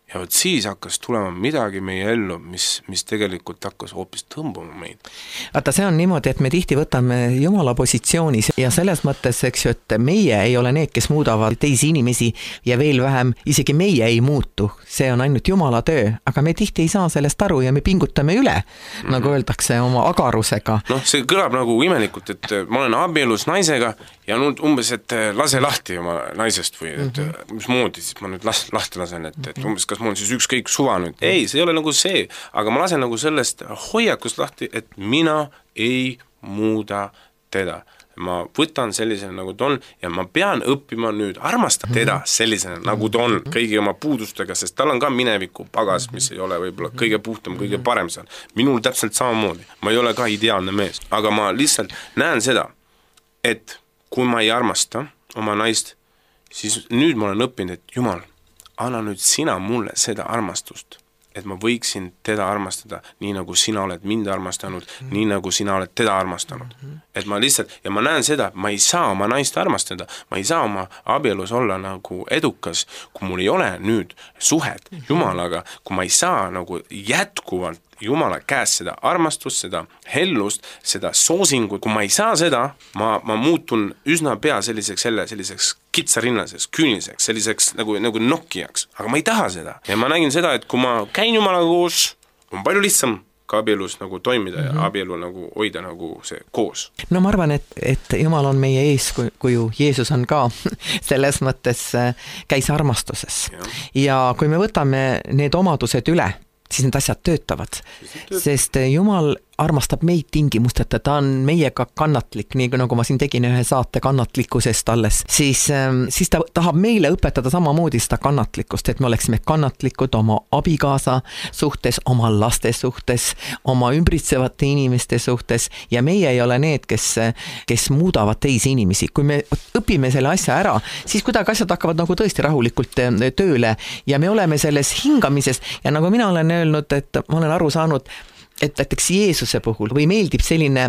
Speaker 3: Ja võt siis hakkas tulema midagi meie ellu, mis tegelikult hakkas hoopis tõmbama meid.
Speaker 2: Vaata, see on niimoodi, et me tihti võtame Jumala positsioonis ja selles mõttes, eks ju, et meie ei ole need, kes muudavad teisi inimesi ja veel vähem, isegi meie ei muutu. See on ainult Jumala töö, aga me tihti ei saa sellest aru ja me pingutame üle, nagu öeldakse, oma agarusega.
Speaker 3: Noh, see kõlab nagu imelikult, et ma olen abielus naisega ja nüüd umbes, et lase lahti oma naisest või et mis moodi siis ma nüüd lahti lasen, et umbes kas mul on siis ükskõik suva nüüd. Ei, see ei ole nagu see, aga ma lasen nagu sellest hoiakust lahti, et mina ei muuda teda. Ma võtan sellisena, nagu ta on ja ma pean õppima nüüd armastama teda sellisena, nagu ta on, kõigi oma puudustega, sest tal on ka mineviku pagas, mis ei ole võib-olla kõige puhtam, kõige parem seal. Minul täpselt samamoodi. Ma ei ole ka ideaalne mees, aga ma lihtsalt näen seda, et kui ma ei armasta oma naist, siis nüüd ma olen õppinud, et Jumal, anna nüüd sina mulle seda armastust, et ma võiksin teda armastada nii, nagu sina oled mind armastanud, nii, nagu sina oled teda armastanud. Et ma lihtsalt, ja ma näen seda, ma ei saa oma naist armastada, ma ei saa oma abielus olla nagu edukas, kui mul ei ole nüüd suhet Jumalaga, kui ma ei saa nagu jätkuvalt Jumala käest seda armastust, seda hellust, seda soosingut, kui ma ei saa seda, ma muutun üsna pea selliseks kitsarinnaseks, küüniseks, selliseks nagu nokkijaks, aga ma ei taha seda. Ja ma nägin seda, et kui ma käin Jumalaga koos, on palju lihtsam ka abielus nagu toimida ja abielu nagu hoida nagu see koos.
Speaker 2: No ma arvan, et Jumal on meie eeskuju, Jeesus on ka selles mõttes käis armastuses. Ja kui me võtame need omadused üle, siis need asjad töötavad, sest Jumal armastab meid tingimusteta, ta on meiega kannatlik, nii nagu ma siin tegin ühe saate kannatlikkusest alles, siis ta tahab meile õpetada samamoodi seda kannatlikkust, et me oleksime kannatlikud oma abikaasa suhtes, oma laste suhtes, oma ümbritsevate inimeste suhtes ja meie ei ole need, kes muudavad teisi inimesi. Kui me õpime selle asja ära, siis kuidagi asjad hakkavad nagu tõesti rahulikult tööle ja me oleme selles hingamises ja nagu mina olen öelnud, et ma olen aru saanud, et näiteks Jeesuse puhul või meeldib selline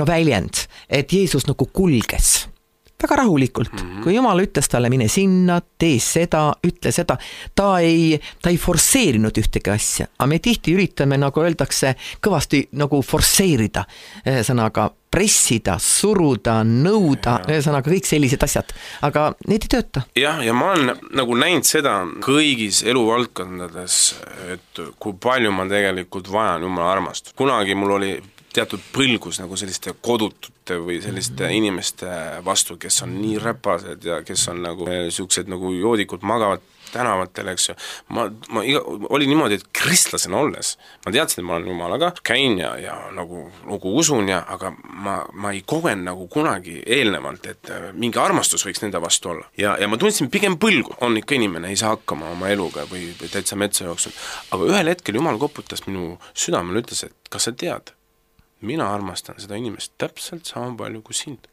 Speaker 2: väljend, et Jeesus nagu kulges väga rahulikult. Kui Jumal ütles talle, mine sinna, tee seda, ütle seda, ta ei forsseerinud ühtegi asja, aga me tihti üritame, nagu öeldakse, kõvasti nagu forsseerida, sõnaga pressida, suruda, nõuda, sõnaga kõik sellised asjad, aga need ei tööta.
Speaker 3: Ja ma olen nagu näinud seda kõigis eluvaldkondades, et kui palju ma tegelikult vajan Jumala armastust. Kunagi mul oli teatud põlgus nagu selliste kodutute või selliste inimeste vastu, kes on nii räpased ja kes on nagu siuksed nagu joodikud magavad tänavatel, eks ju. Ma oli niimoodi, et kristlasena olles, ma teadsin, et ma olen Jumalaga, käin ja nagu usun, aga ma ei kogen nagu kunagi eelnevalt, et mingi armastus võiks nende vastu olla. Ja ma tundsin pigem põlgu, on ikka inimene, ei saa hakkama oma eluga või täitsa metsa jooksul. Aga ühel hetkel Jumal koputas minu südamele, ütles, et kas sa tead, mina armastan seda inimest täpselt sama palju kui sind.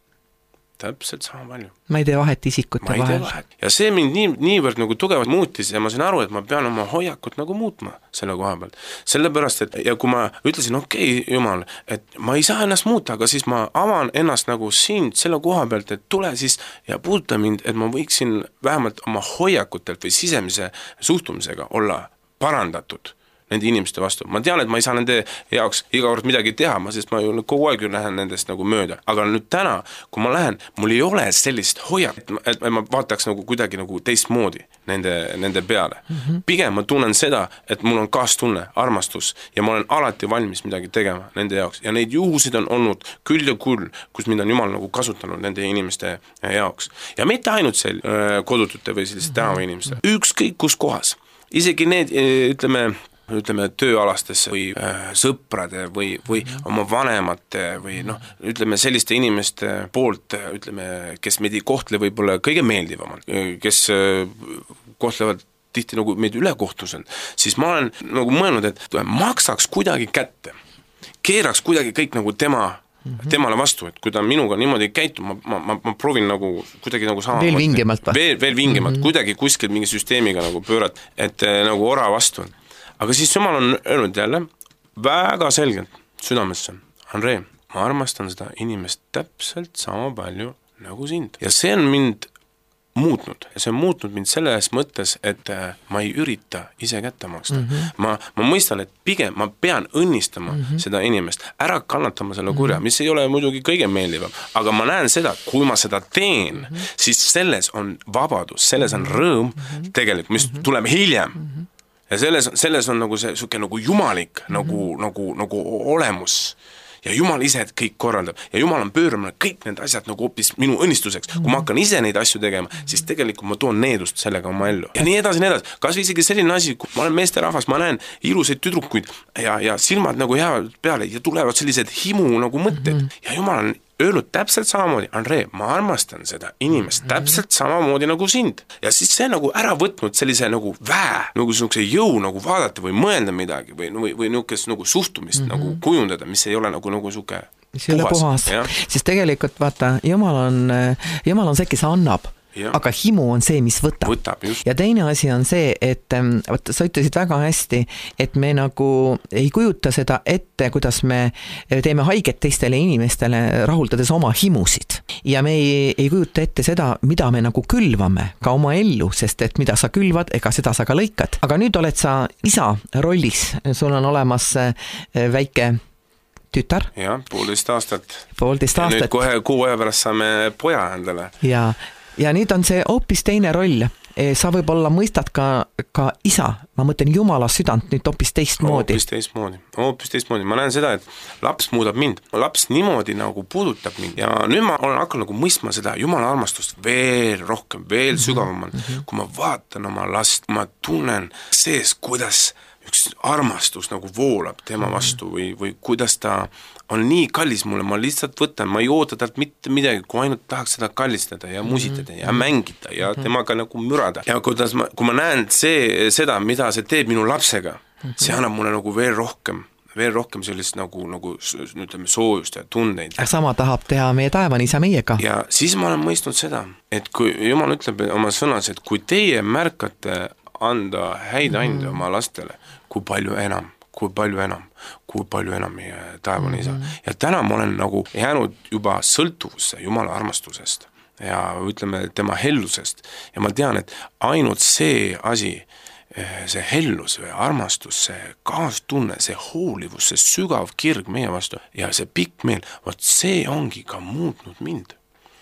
Speaker 3: Täpselt sama palju.
Speaker 2: Ma ei tee vahet isikute vahel.
Speaker 3: Ja see mind niivõrd nagu tugevalt muutis ja ma sain aru, et ma pean oma hoiakut nagu muutma selle koha pealt. Sellepärast, et ja kui ma ütlesin, okei, Jumal, et ma ei saa ennast muuta, aga siis ma avan ennast nagu sind selle koha pealt, et tule siis ja puuduta mind, et ma võiksin vähemalt oma hoiakutelt või sisemise suhtumisega olla parandatud nende inimeste vastu. Ma tean, et ma ei saa nende jaoks iga kord midagi teha, sest ma ju kogu aeg lähen nendest nagu mööda. Aga nüüd täna, kui ma lähen, mul ei ole sellist hoiak, et ma vaataks nagu kuidagi nagu teistmoodi nende peale. Pigem ma tunnen seda, et mul on kaastunne, armastus ja ma olen alati valmis midagi tegema nende jaoks. Ja neid juhusid on olnud küll ja küll, kus mind on Jumal nagu kasutanud nende inimeste jaoks. Ja mitte ainult kodutute või selliste tänava inimeste. Ükskõik kus kohas. Isegi need, ütleme, ütleme, tööalastes või sõprade või oma vanemate või noh, ütleme selliste inimeste poolt, ütleme, kes meid ei kohtle võib-olla kõige meeldivamalt, kes kohtlevad tihti nagu meid ülekohtuselt, siis ma olen nagu mõelnud, et maksaks kuidagi kätte, keeraks kuidagi kõik nagu temale vastu, et kui ta minuga niimoodi käitub, ma proovin nagu kuidagi nagu sama
Speaker 2: veel vingemalt või?
Speaker 3: Veel vingemalt, kuidagi kuskil mingi süsteemiga nagu pöörad, et nagu ora vastu. Aga siis Jumal on öelnud jälle väga selgelt südamesse, Andrei, ma armastan seda inimest täpselt sama palju nagu sind. Ja see on mind muutnud. Ja see on muutnud mind selles mõttes, et ma ei ürita ise kätte maksta. Ma mõistan, et pigem ma pean õnnistama seda inimest, ära kannatama selle kurja, mis ei ole muidugi kõige meeldivam. Aga ma näen seda, kui ma seda teen, siis selles on vabadus, selles on rõõm tegelikult, mis tuleb hiljem. Ja selles on nagu see suke nagu jumalik nagu olemus. Ja Jumal ise kõik korraldab ja Jumal on pööranud kõik need asjad nagu hoopis minu õnnistuseks. Kui ma hakkan ise neid asju tegema, siis tegelikult ma toon needust sellega oma ellu. Ja nii edasi. Kas või isegi selline asi, kui ma olen meesterahvas, ma näen ilusaid tüdrukuid ja silmad nagu jäävad peale ja tulevad sellised himu nagu mõtted. Ja Jumal on öelnud täpselt samamoodi, Andrei, ma armastan seda inimest täpselt samamoodi nagu sind. Ja siis see nagu ära võtnud sellise nagu nagu sellise jõu nagu vaadata või mõelda midagi või niisugust nagu suhtumist nagu kujundada, mis ei ole nagu suke
Speaker 2: puhas. Siis tegelikult vaata, Jumal on see, kes annab. Ja. Aga himu on see, mis võtab. Ja teine asi on see, et sa ütlesid väga hästi, et me nagu ei kujuta seda ette, kuidas me teeme haiget teistele inimestele, rahuldades oma himusid. Ja me ei kujuta ette seda, mida me nagu külvame ka oma ellu, sest et mida sa külvad, ega seda sa ka lõikad. Aga nüüd oled sa isa rollis, sul on olemas väike tütar.
Speaker 3: Ja, 1,5 aastat.
Speaker 2: 1,5 aastat.
Speaker 3: Ja nüüd kohe 6 aja pärast saame poja endale.
Speaker 2: Ja nüüd on see hoopis teine roll. Sa võib-olla mõistad ka isa, ma mõtlen Jumala südant nüüd hoopis teistmoodi.
Speaker 3: Hoopis teistmoodi. Ma näen seda, et laps muudab mind. Laps niimoodi nagu puudutab mind. Ja nüüd ma olen hakanud nagu mõistma seda Jumala armastust veel rohkem, veel sügavamalt. Kui ma vaatan oma last, ma tunnen sees, kuidas üks armastus nagu voolab tema vastu või kuidas ta on nii kallis mulle, ma lihtsalt võtan, ma ei oota talt mitte midagi, kui ainult tahaks seda kallistada ja musitada ja mängida ja temaga nagu mürada. Ja kui ma näen seda, mida see teeb minu lapsega, see annab mulle nagu veel rohkem sellist nagu ütleme, soojust ja tundeid.
Speaker 2: Sama tahab teha meie taevani isa meiega.
Speaker 3: Ja siis ma olen mõistnud seda, et kui Jumal ütleb oma sõnas, et kui teie märkate anda häid ande oma lastele, kui palju enam meie taevane isa. Ja täna ma olen nagu jäänud juba sõltuvusse Jumala armastusest ja ütleme tema hellusest. Ja ma tean, et ainult see asi, see hellus või armastus, see kaastunne, see hoolivus, see sügav kirg meie vastu ja see pikk meel, see ongi ka muutnud mind.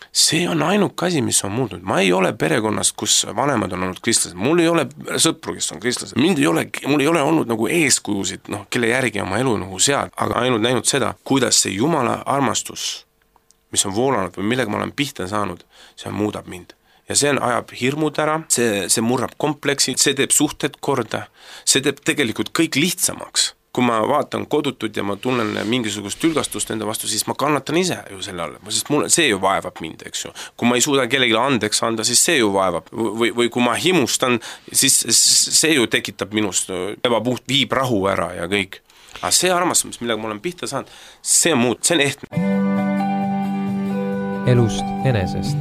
Speaker 3: See on ainuke asi, mis on muutnud. Ma ei ole perekonnast, kus vanemad on olnud kristlased. Mul ei ole sõpru, kes on kristlased. Mul ei ole olnud nagu eeskujusid, kelle järgi oma elu nagu sead, aga ainult näinud seda, kuidas see Jumala armastus, mis on voolanud või millega ma olen pihta saanud, see muudab mind. Ja see ajab hirmud ära, see murrab kompleksi, see teeb suhted korda, see teeb tegelikult kõik lihtsamaks. Kui ma vaatan kodutut ja ma tunnen mingisugust tülgastust enda vastu, siis ma kannatan ise ju selle alla, sest see ju vaevab mind, eks ju. Kui ma ei suuda kellelegi andeks anda, siis see ju vaevab. Või kui ma himustan, siis see ju tekitab minust ebapuht, viib rahu ära ja kõik. Aga see armastus, millega ma olen pihta saanud, see on muud, see on ehtne.
Speaker 1: Elust enesest.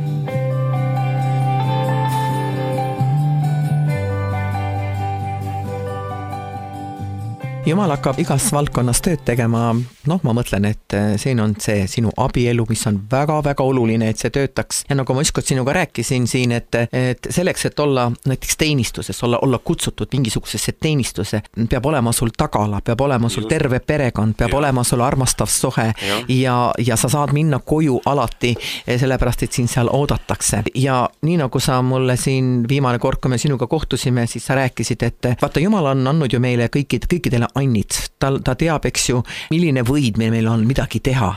Speaker 2: Jumal hakkab igas valdkonnas tööd tegema, ma mõtlen, et siin on see sinu abielu, mis on väga-väga oluline, et see töötaks. Ja nagu ma ükskord sinuga rääkisin siin, et selleks, et olla näiteks teenistuses, olla kutsutud mingisugusesse teenistuse, peab olema sul tagala, peab olema sul terve perekond, peab olema sul armastav suhe ja sa saad minna koju alati, sellepärast, et siin seal oodatakse. Ja nii nagu sa mulle siin viimane kord, kui me sinuga kohtusime, siis sa rääkisid, et vaata, Jumal on andnud ju meile kõikidele annid, ta teab, eks ju, milline võid meil on midagi teha.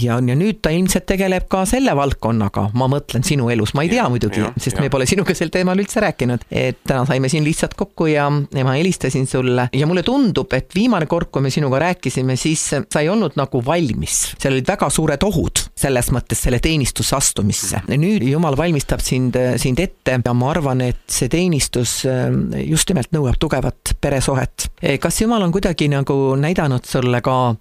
Speaker 2: Ja nüüd ta ilmselt tegeleb ka selle valdkonnaga, ma mõtlen sinu elus, ma ei tea muidugi, sest me pole sinuga sel teemal üldse rääkinud, et täna saime siin lihtsalt kokku ja ma helistasin sulle ja mulle tundub, et viimane kord, kui me sinuga rääkisime, siis sa ei olnud nagu valmis. Seal olid väga suured ohud selles mõttes selle teenistuse astumisse. Nüüd Jumal valmistab sind ette ja ma arvan, et see teenistus just nimelt nõuab tugevat peresohet. Kas Jumal on kuidagi nagu näidanud sulle ka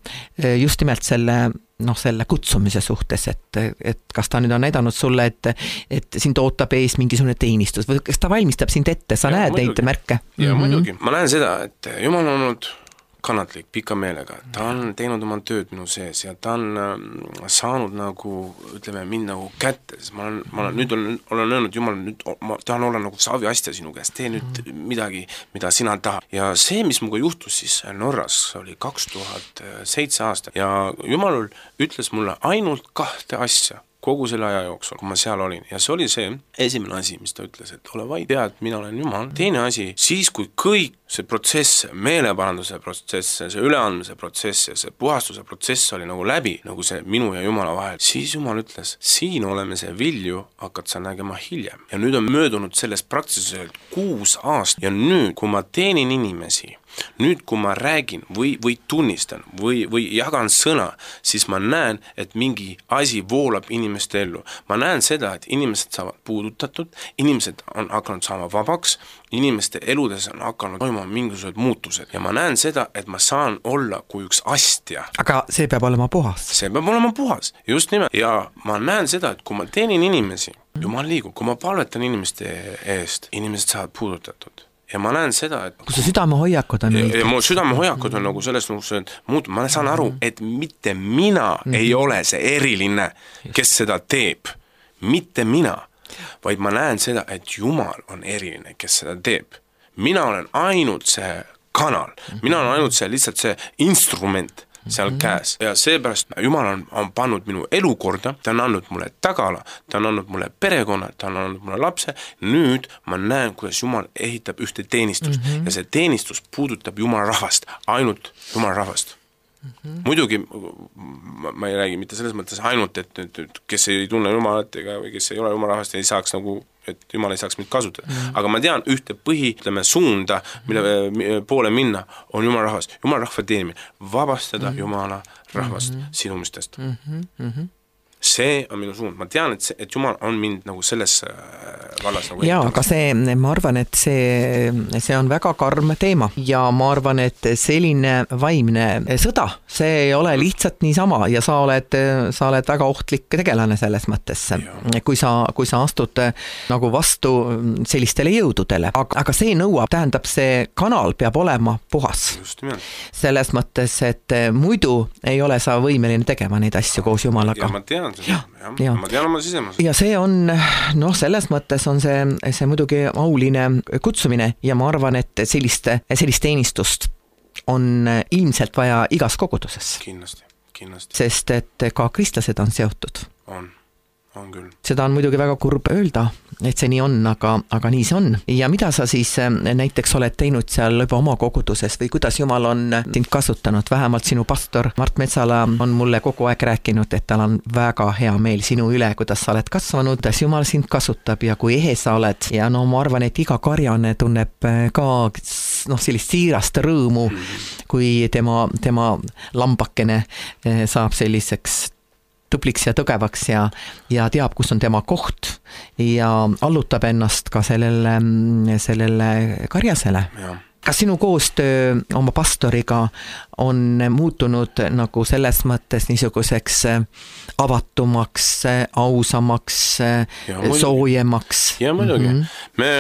Speaker 2: just nimelt selle kutsumise suhtes, et kas ta nüüd on näidanud sulle, et sind ootab ees mingisugune teenistus või kas ta valmistab sind ette, sa näed neid märke?
Speaker 3: Ja muidugi, ma näen seda, et Jumal on olnud kannatlik, pika meelega, ta on teinud oma tööd minu sees ja ta on saanud nagu, ütleme, mind nagu kätte, sest ma olen öelnud, Jumal, nüüd ma tahan olla nagu saviastja sinu käest, tee nüüd midagi, mida sina tahad. Ja see, mis muga juhtus siis Norras, oli 2007 aastal ja Jumal ütles mulle ainult 2 asja kogu selle aja jooksul, kui ma seal olin. Ja see oli see esimene asi, mis ta ütles, et ole vaid, tea, et mina olen Jumal. Teine asi, siis kui kõik see protsess, meeleparanduse protsess, see üleandmise protsess ja see puhastuse protsess oli nagu läbi, nagu see minu ja Jumala vahel, siis Jumal ütles, siin oleme see vilju, hakkad sa nägema hiljem. Ja nüüd on möödunud sellest praktiliselt 6 aastat ja nüüd, kui ma teenin inimesi, nüüd, kui ma räägin või tunnistan või jagan sõna, siis ma näen, et mingi asi voolab inimeste ellu. Ma näen seda, et inimesed saavad puudutatud, inimesed on hakanud saama vabaks, inimeste eludes on hakanud toimuma mingisugused muutused. Ja ma näen seda, et ma saan olla kui üks astja.
Speaker 2: Aga see peab olema puhas.
Speaker 3: See peab olema puhas, just nimelt. Ja ma näen seda, et kui ma teenin inimesi, Jumal liigub, kui ma palvetan inimeste eest, inimesed saavad puudutatud. Ja ma näen seda, et
Speaker 2: kui see südamehoiakud on
Speaker 3: ja mu südamehoiakud on nagu selles muutunud, ma saan aru, et mitte mina ei ole see eriline, kes seda teeb. Mitte mina, vaid ma näen seda, et Jumal on eriline, kes seda teeb. Mina olen ainult see kanal, mina olen ainult see lihtsalt see instrument seal käes. Ja seepärast Jumal on pannud minu elu korda, ta on andnud mulle tagala, ta on andnud mulle perekonna, ta on andnud mulle lapse. Nüüd ma näen, kuidas Jumal ehitab ühte teenistust ja see teenistus puudutab Jumala rahvast, ainult Jumala rahvast. Muidugi ma ei räägi mitte selles mõttes ainult, et kes ei tunne Jumalat või kes ei ole Jumala rahvast, ei saaks nagu, et Jumal ei saaks mind kasutada. Aga ma tean ühte suunda, mille poole minna, on Jumala rahvast. Jumala rahva teenimine, vabastada Jumala rahvast sinumistest. See on minu suund. Ma tean, et Jumal on mind nagu selles vallas nagu
Speaker 2: jaa, aga ma arvan, et see on väga karm teema ja ma arvan, et selline vaimne sõda, see ei ole lihtsalt niisama ja sa oled väga ohtlik tegelane selles mõttes, kui sa astud nagu vastu sellistele jõududele, aga see tähendab, see kanal peab olema puhas. Selles mõttes, et muidu ei ole sa võimeline tegema neid asju koos Jumalaga.
Speaker 3: Ja ma tean, ma tean oma sisemas.
Speaker 2: Ja see on, selles mõttes on see muidugi auline kutsumine ja ma arvan, et sellist teenistust on ilmselt vaja igas koguduses.
Speaker 3: Kindlasti.
Speaker 2: Sest et ka kristlased on seotud.
Speaker 3: On küll.
Speaker 2: Seda on muidugi väga kurb öelda, et see nii on, aga nii see on. Ja mida sa siis näiteks oled teinud seal juba oma koguduses või kuidas Jumal on sind kasutanud? Vähemalt sinu pastor Mart Metsala on mulle kogu aeg rääkinud, et tal on väga hea meel sinu üle, kuidas sa oled kasvanud, kuidas Jumal sind kasutab ja kui ehe sa oled. Ja ma arvan, et iga karjane tunneb ka sellist siirast rõõmu, kui tema lambakene saab selliseks tubliks ja tugevaks ja teab, kus on tema koht ja allutab ennast ka sellele karjasele. Kas sinu koostöö oma pastoriga on muutunud nagu selles mõttes niisuguseks avatumaks, ausamaks, soojemaks?
Speaker 3: Ja muidugi. Me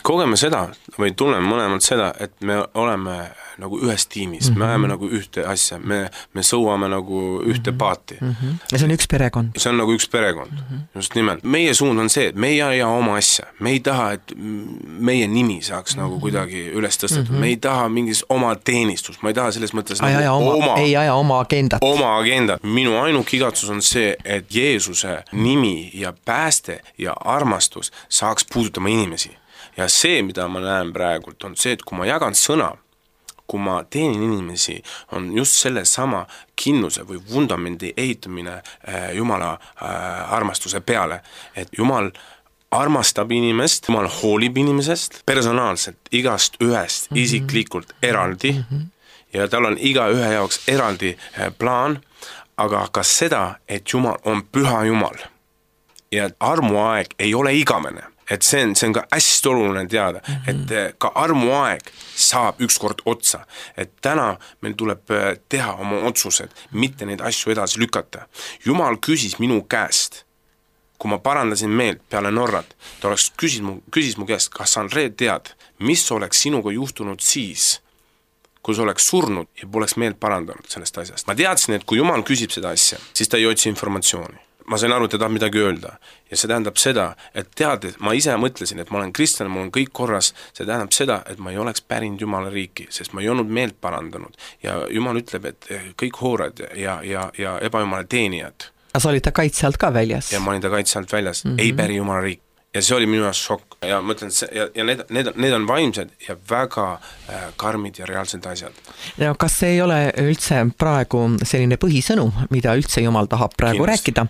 Speaker 3: kogeme seda või tunneme mõlemad seda, et me oleme nagu ühes tiimis, me ajame nagu ühte asja, me sõuame nagu ühte paati.
Speaker 2: Ja see on üks perekond.
Speaker 3: See on nagu üks perekond, just nimelt. Meie suund on see, et me ei aja oma asja, me ei taha, et meie nimi saaks nagu kuidagi üles tõstetud, me ei taha mingis oma teenistus, ma ei taha selles mõttes
Speaker 2: ei aja oma agendat.
Speaker 3: Oma agendat. Minu ainuk igatsus on see, et Jeesuse nimi ja pääste ja armastus saaks puudutama inimesi. Ja see, mida ma näen praegult, on see, et kui ma jagan sõna, kui ma teenin inimesi, on just selle sama kinnuse või vundamendi ehitamine Jumala armastuse peale, et Jumal armastab inimest, Jumal hoolib inimesest personaalselt, igast ühest isiklikult eraldi ja tal on iga ühe jaoks eraldi plaan, aga ka seda, et Jumal on püha Jumal ja armuaeg ei ole igavene. Et see on ka hästi oluline teada, et ka armuaeg saab ükskord otsa. Et täna meil tuleb teha oma otsused, mitte neid asju edasi lükata. Jumal küsis minu käest, kui ma parandasin meelt peale Norrat, ta küsis mu käest, kas Andre tead, mis oleks sinuga juhtunud siis, kui sa oleks surnud ja poleks meelt parandanud sellest asjast. Ma teadsin, et kui Jumal küsib seda asja, siis ta ei otsi informatsiooni. Ma sain aru, et ta tahab midagi öelda ja see tähendab seda, et teades, ma ise mõtlesin, et ma olen kristlane, mul on kõik korras, see tähendab seda, et ma ei oleks pärinud Jumala riiki, sest ma ei olnud meelt parandanud ja Jumal ütleb, et kõik hoorad ja ebajumala teenijad.
Speaker 2: Sa olid ta kaitse alt ka väljas?
Speaker 3: Ja ma olin ta kaitse alt väljas, ei päri Jumala riik. Ja see oli minu jaoks šokk ja mõtlen, ja need on vaimsed ja väga karmid ja reaalsed asjad.
Speaker 2: Ja kas see ei ole üldse praegu selline põhisõnum, mida üldse Jumal tahab praegu rääkida?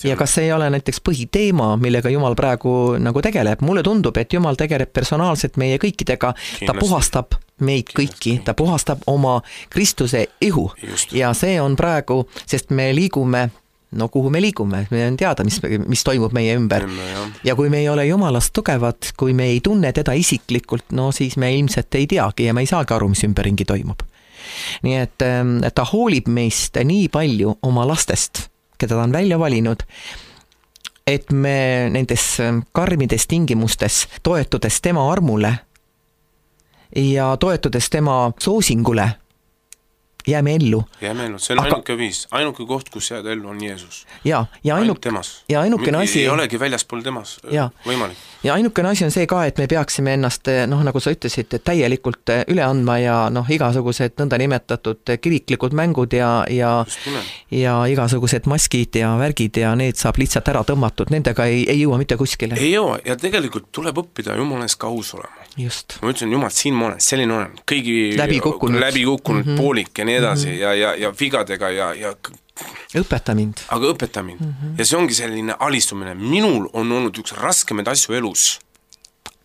Speaker 2: Ja kas see ei ole näiteks põhiteema, millega Jumal praegu nagu tegeleb? Mulle tundub, et Jumal tegeleb personaalselt meie kõikidega, ta puhastab meid kõiki, ta puhastab oma Kristuse ihu. Ja see on praegu, sest me liigume kuhu me liigume, me on teada, mis toimub meie ümber. Ja kui me ei ole Jumalast tugevad, kui me ei tunne teda isiklikult, siis me ilmselt ei teagi ja me ei saagi aru, mis ümberringi toimub. Nii et ta hoolib meist nii palju oma lastest, keda ta on välja valinud, et me nendes karmides tingimustes toetudes tema armule ja toetudes tema soosingule jääme ellu.
Speaker 3: Jääme ellu, see on ainuke viis, ainuke koht, kus jääda ellu on Jeesus.
Speaker 2: Ja ainukene asi
Speaker 3: ei olegi väljaspool temas võimalik.
Speaker 2: Ja ainukene asi on see ka, et me peaksime ennast, nagu sa ütlesid, täielikult üle andma ja igasugused nõnda nimetatud kiriklikud mängud ja igasugused maskid ja värgid ja need saab lihtsalt ära tõmmatud, nendega ei jõua mitte kuskile.
Speaker 3: Ei jõua ja tegelikult tuleb õppida Jumalast ka aus olema.
Speaker 2: Just.
Speaker 3: Ma ütlesin, Jumal, siin ma olen, selline olen, kõigi läbi kukkunud poolik ja nii edasi ja vigadega ja
Speaker 2: õpeta mind.
Speaker 3: Aga õpeta mind. Ja see ongi selline alistumine. Minul on olnud üks raskemaid asju elus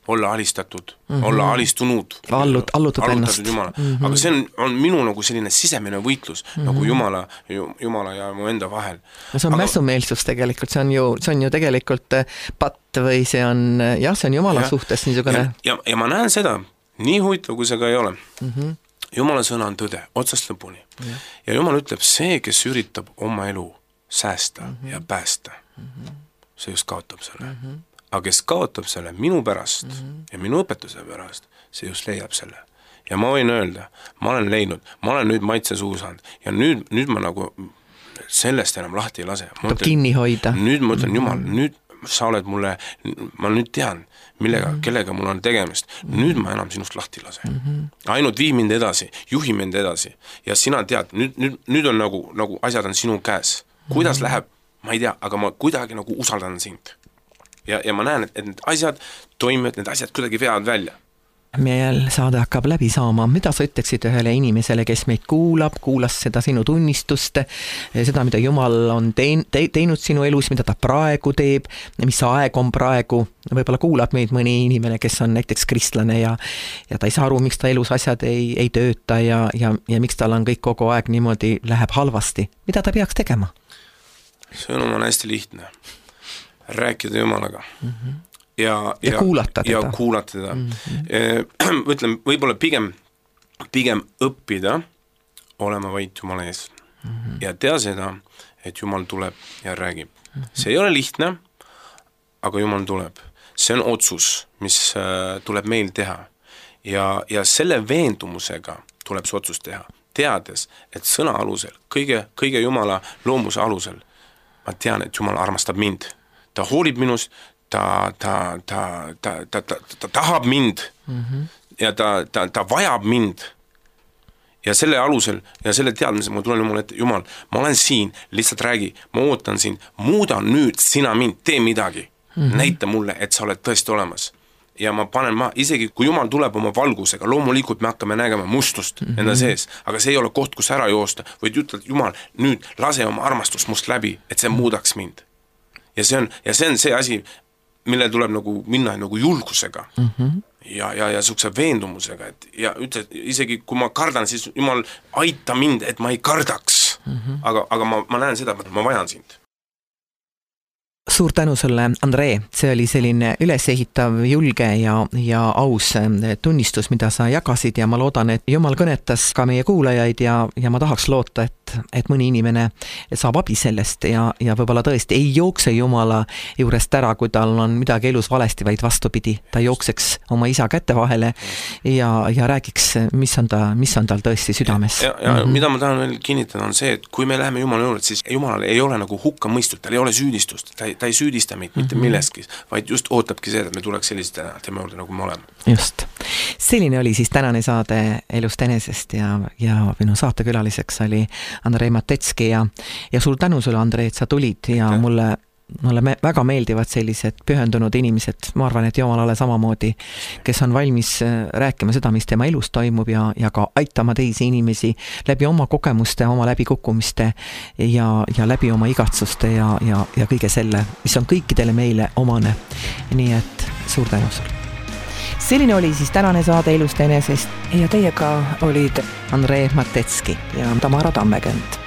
Speaker 3: olla alistatud, olla alistunud.
Speaker 2: Allutatud ennast.
Speaker 3: Jumala. Aga see on minu nagu selline sisemine võitlus nagu Jumala ja mu enda vahel.
Speaker 2: See on mässumeelsus tegelikult, see on ju tegelikult patt või see on Jumala suhtes niisugune.
Speaker 3: Ja ma näen seda, nii huvitav kui see ka ei ole. Jumala sõna on tõde, otsast lõpuni. Ja Jumal ütleb, see, kes üritab oma elu säästa ja päästa, see just kaotab selle. Aga kes kaotab selle minu pärast ja minu õpetuse pärast, see just leiab selle. Ja ma võin öelda, ma olen leidnud, ma olen nüüd maitse suus saanud ja nüüd ma nagu sellest enam lahti ei lase.
Speaker 2: Peab kinni hoida.
Speaker 3: Nüüd ma ütlen, Jumal, nüüd sa oled mulle, ma nüüd tean, kellega mul on tegemist. Nüüd ma enam sinust lahti lase. Ainult vii mind edasi, juhi mind edasi. Ja sina tead, nüüd on nagu asjad on sinu käes. Kuidas läheb, ma ei tea, aga ma kuidagi nagu usaldan sind. Ja ma näen, et need asjad toimivad, need asjad kuidagi veavad välja.
Speaker 2: Meil saade hakkab läbi saama. Mida sa ütleksid ühele inimesele, kes meid kuulas seda sinu tunnistust, seda, mida Jumal on teinud sinu elus, mida ta praegu teeb, mis aeg on praegu, võib-olla kuulab meid mõni inimene, kes on näiteks kristlane ja ta ei saa aru, miks ta elus asjad ei tööta ja miks tal on kõik kogu aeg niimoodi läheb halvasti. Mida ta peaks tegema?
Speaker 3: Sõnum on hästi lihtne. Rääkida Jumalaga. Ja
Speaker 2: kuulata teda.
Speaker 3: Ja kuulata teda. Ütlen, võib-olla pigem õppida olema vaid Jumala ees. Ja tea seda, et Jumal tuleb ja räägib. See ei ole lihtne, aga Jumal tuleb. See on otsus, mis tuleb meil teha. Ja selle veendumusega tuleb see otsus teha. Teades, et sõna alusel, kõige Jumala loomuse alusel, ma tean, et Jumal armastab mind. Ta hoolib minust, ta tahab mind ja ta vajab mind ja selle alusel ja selle teadmise ma tulen Jumal ette, Jumal, ma olen siin, lihtsalt räägi, ma ootan sind, muuda nüüd sina mind, tee midagi, näita mulle, et sa oled tõesti olemas ja ma panen isegi kui Jumal tuleb oma valgusega, loomulikult me hakkame nägema mustust enda sees, aga see ei ole koht, kus ära joosta, võid ütelda, Jumal, nüüd lase oma armastus must läbi, et see muudaks mind. Ja see on see asi, mille tuleb nagu minna nagu julgusega ja sukse veendumusega, et ja ütle, isegi kui ma kardan, siis Jumal aita mind, et ma ei kardaks, aga ma näen seda, et ma vajan sind.
Speaker 2: Suur tänu sulle, Andree, see oli selline ülesehitav, julge ja aus tunnistus, mida sa jagasid ja ma loodan, et Jumal kõnetas ka meie kuulajaid ja ma tahaks loota, et mõni inimene saab abi sellest ja võib-olla tõesti ei jookse Jumala juurest ära, kui tal on midagi elus valesti, vaid vastupidi, ta jookseks oma isa kätte vahele ja räägiks, mis on tal tõesti südames.
Speaker 3: Ja mida ma tahan veel kinnitada on see, et kui me läheme Jumala juurde, siis Jumalal ei ole nagu hukka mõistut, tal ei ole süüdistust, ta ei süüdista meid mitte millestki, vaid just ootabki see, et me tuleks selliste tema juurde, nagu me oleme.
Speaker 2: Just. Selline oli siis tänane saade Elust enesest ja minu saatekülaliseks oli Andrei Matetski ja suur tänu sulle, Andrei, et sa tulid ja mulle väga meeldivad sellised pühendunud inimesed, ma arvan, et Jumalale samamoodi, kes on valmis rääkima seda, mis tema elus toimub ja ka aitama teisi inimesi läbi oma kogemuste, oma läbikukkumiste ja läbi oma igatsuste ja kõige selle, mis on kõikidele meile omane. Nii et suur tänu sulle. Selline oli siis tänane saade Elust enesest ja teiega olid Andrei Matetski ja Tamara Tammekend.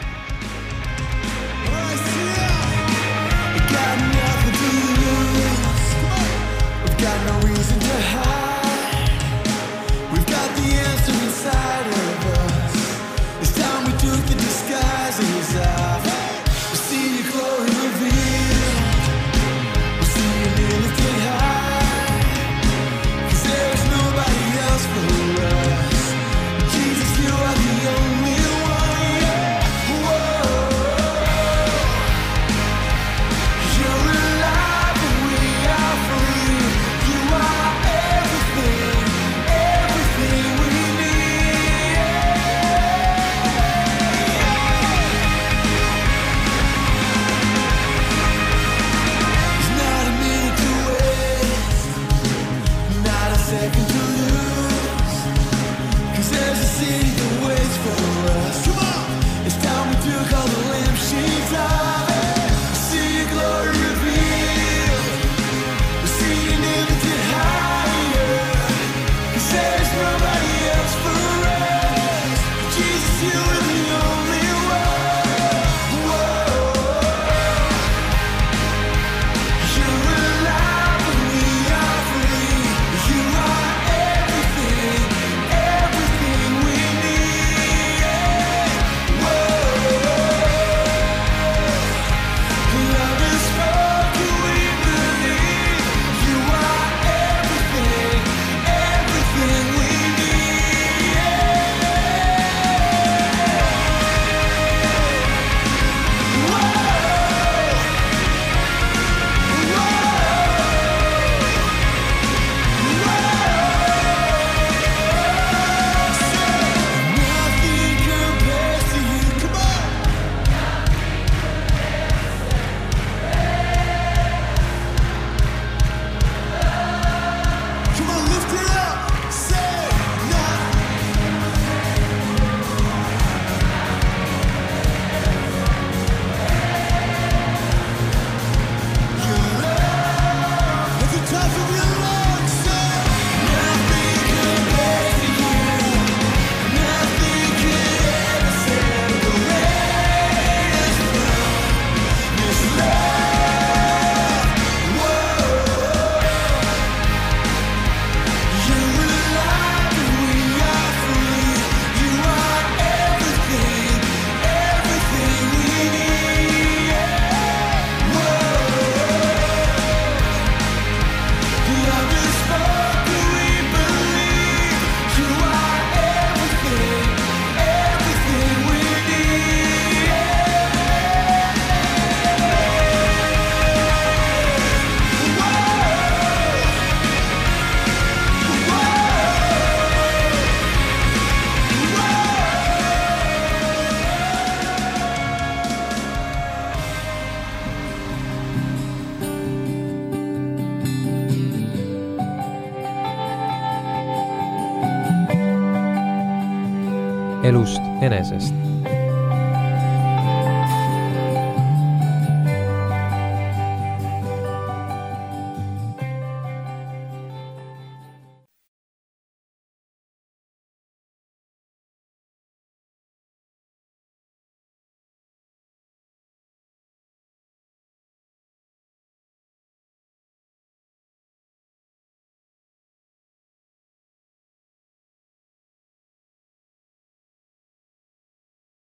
Speaker 1: elust enesest.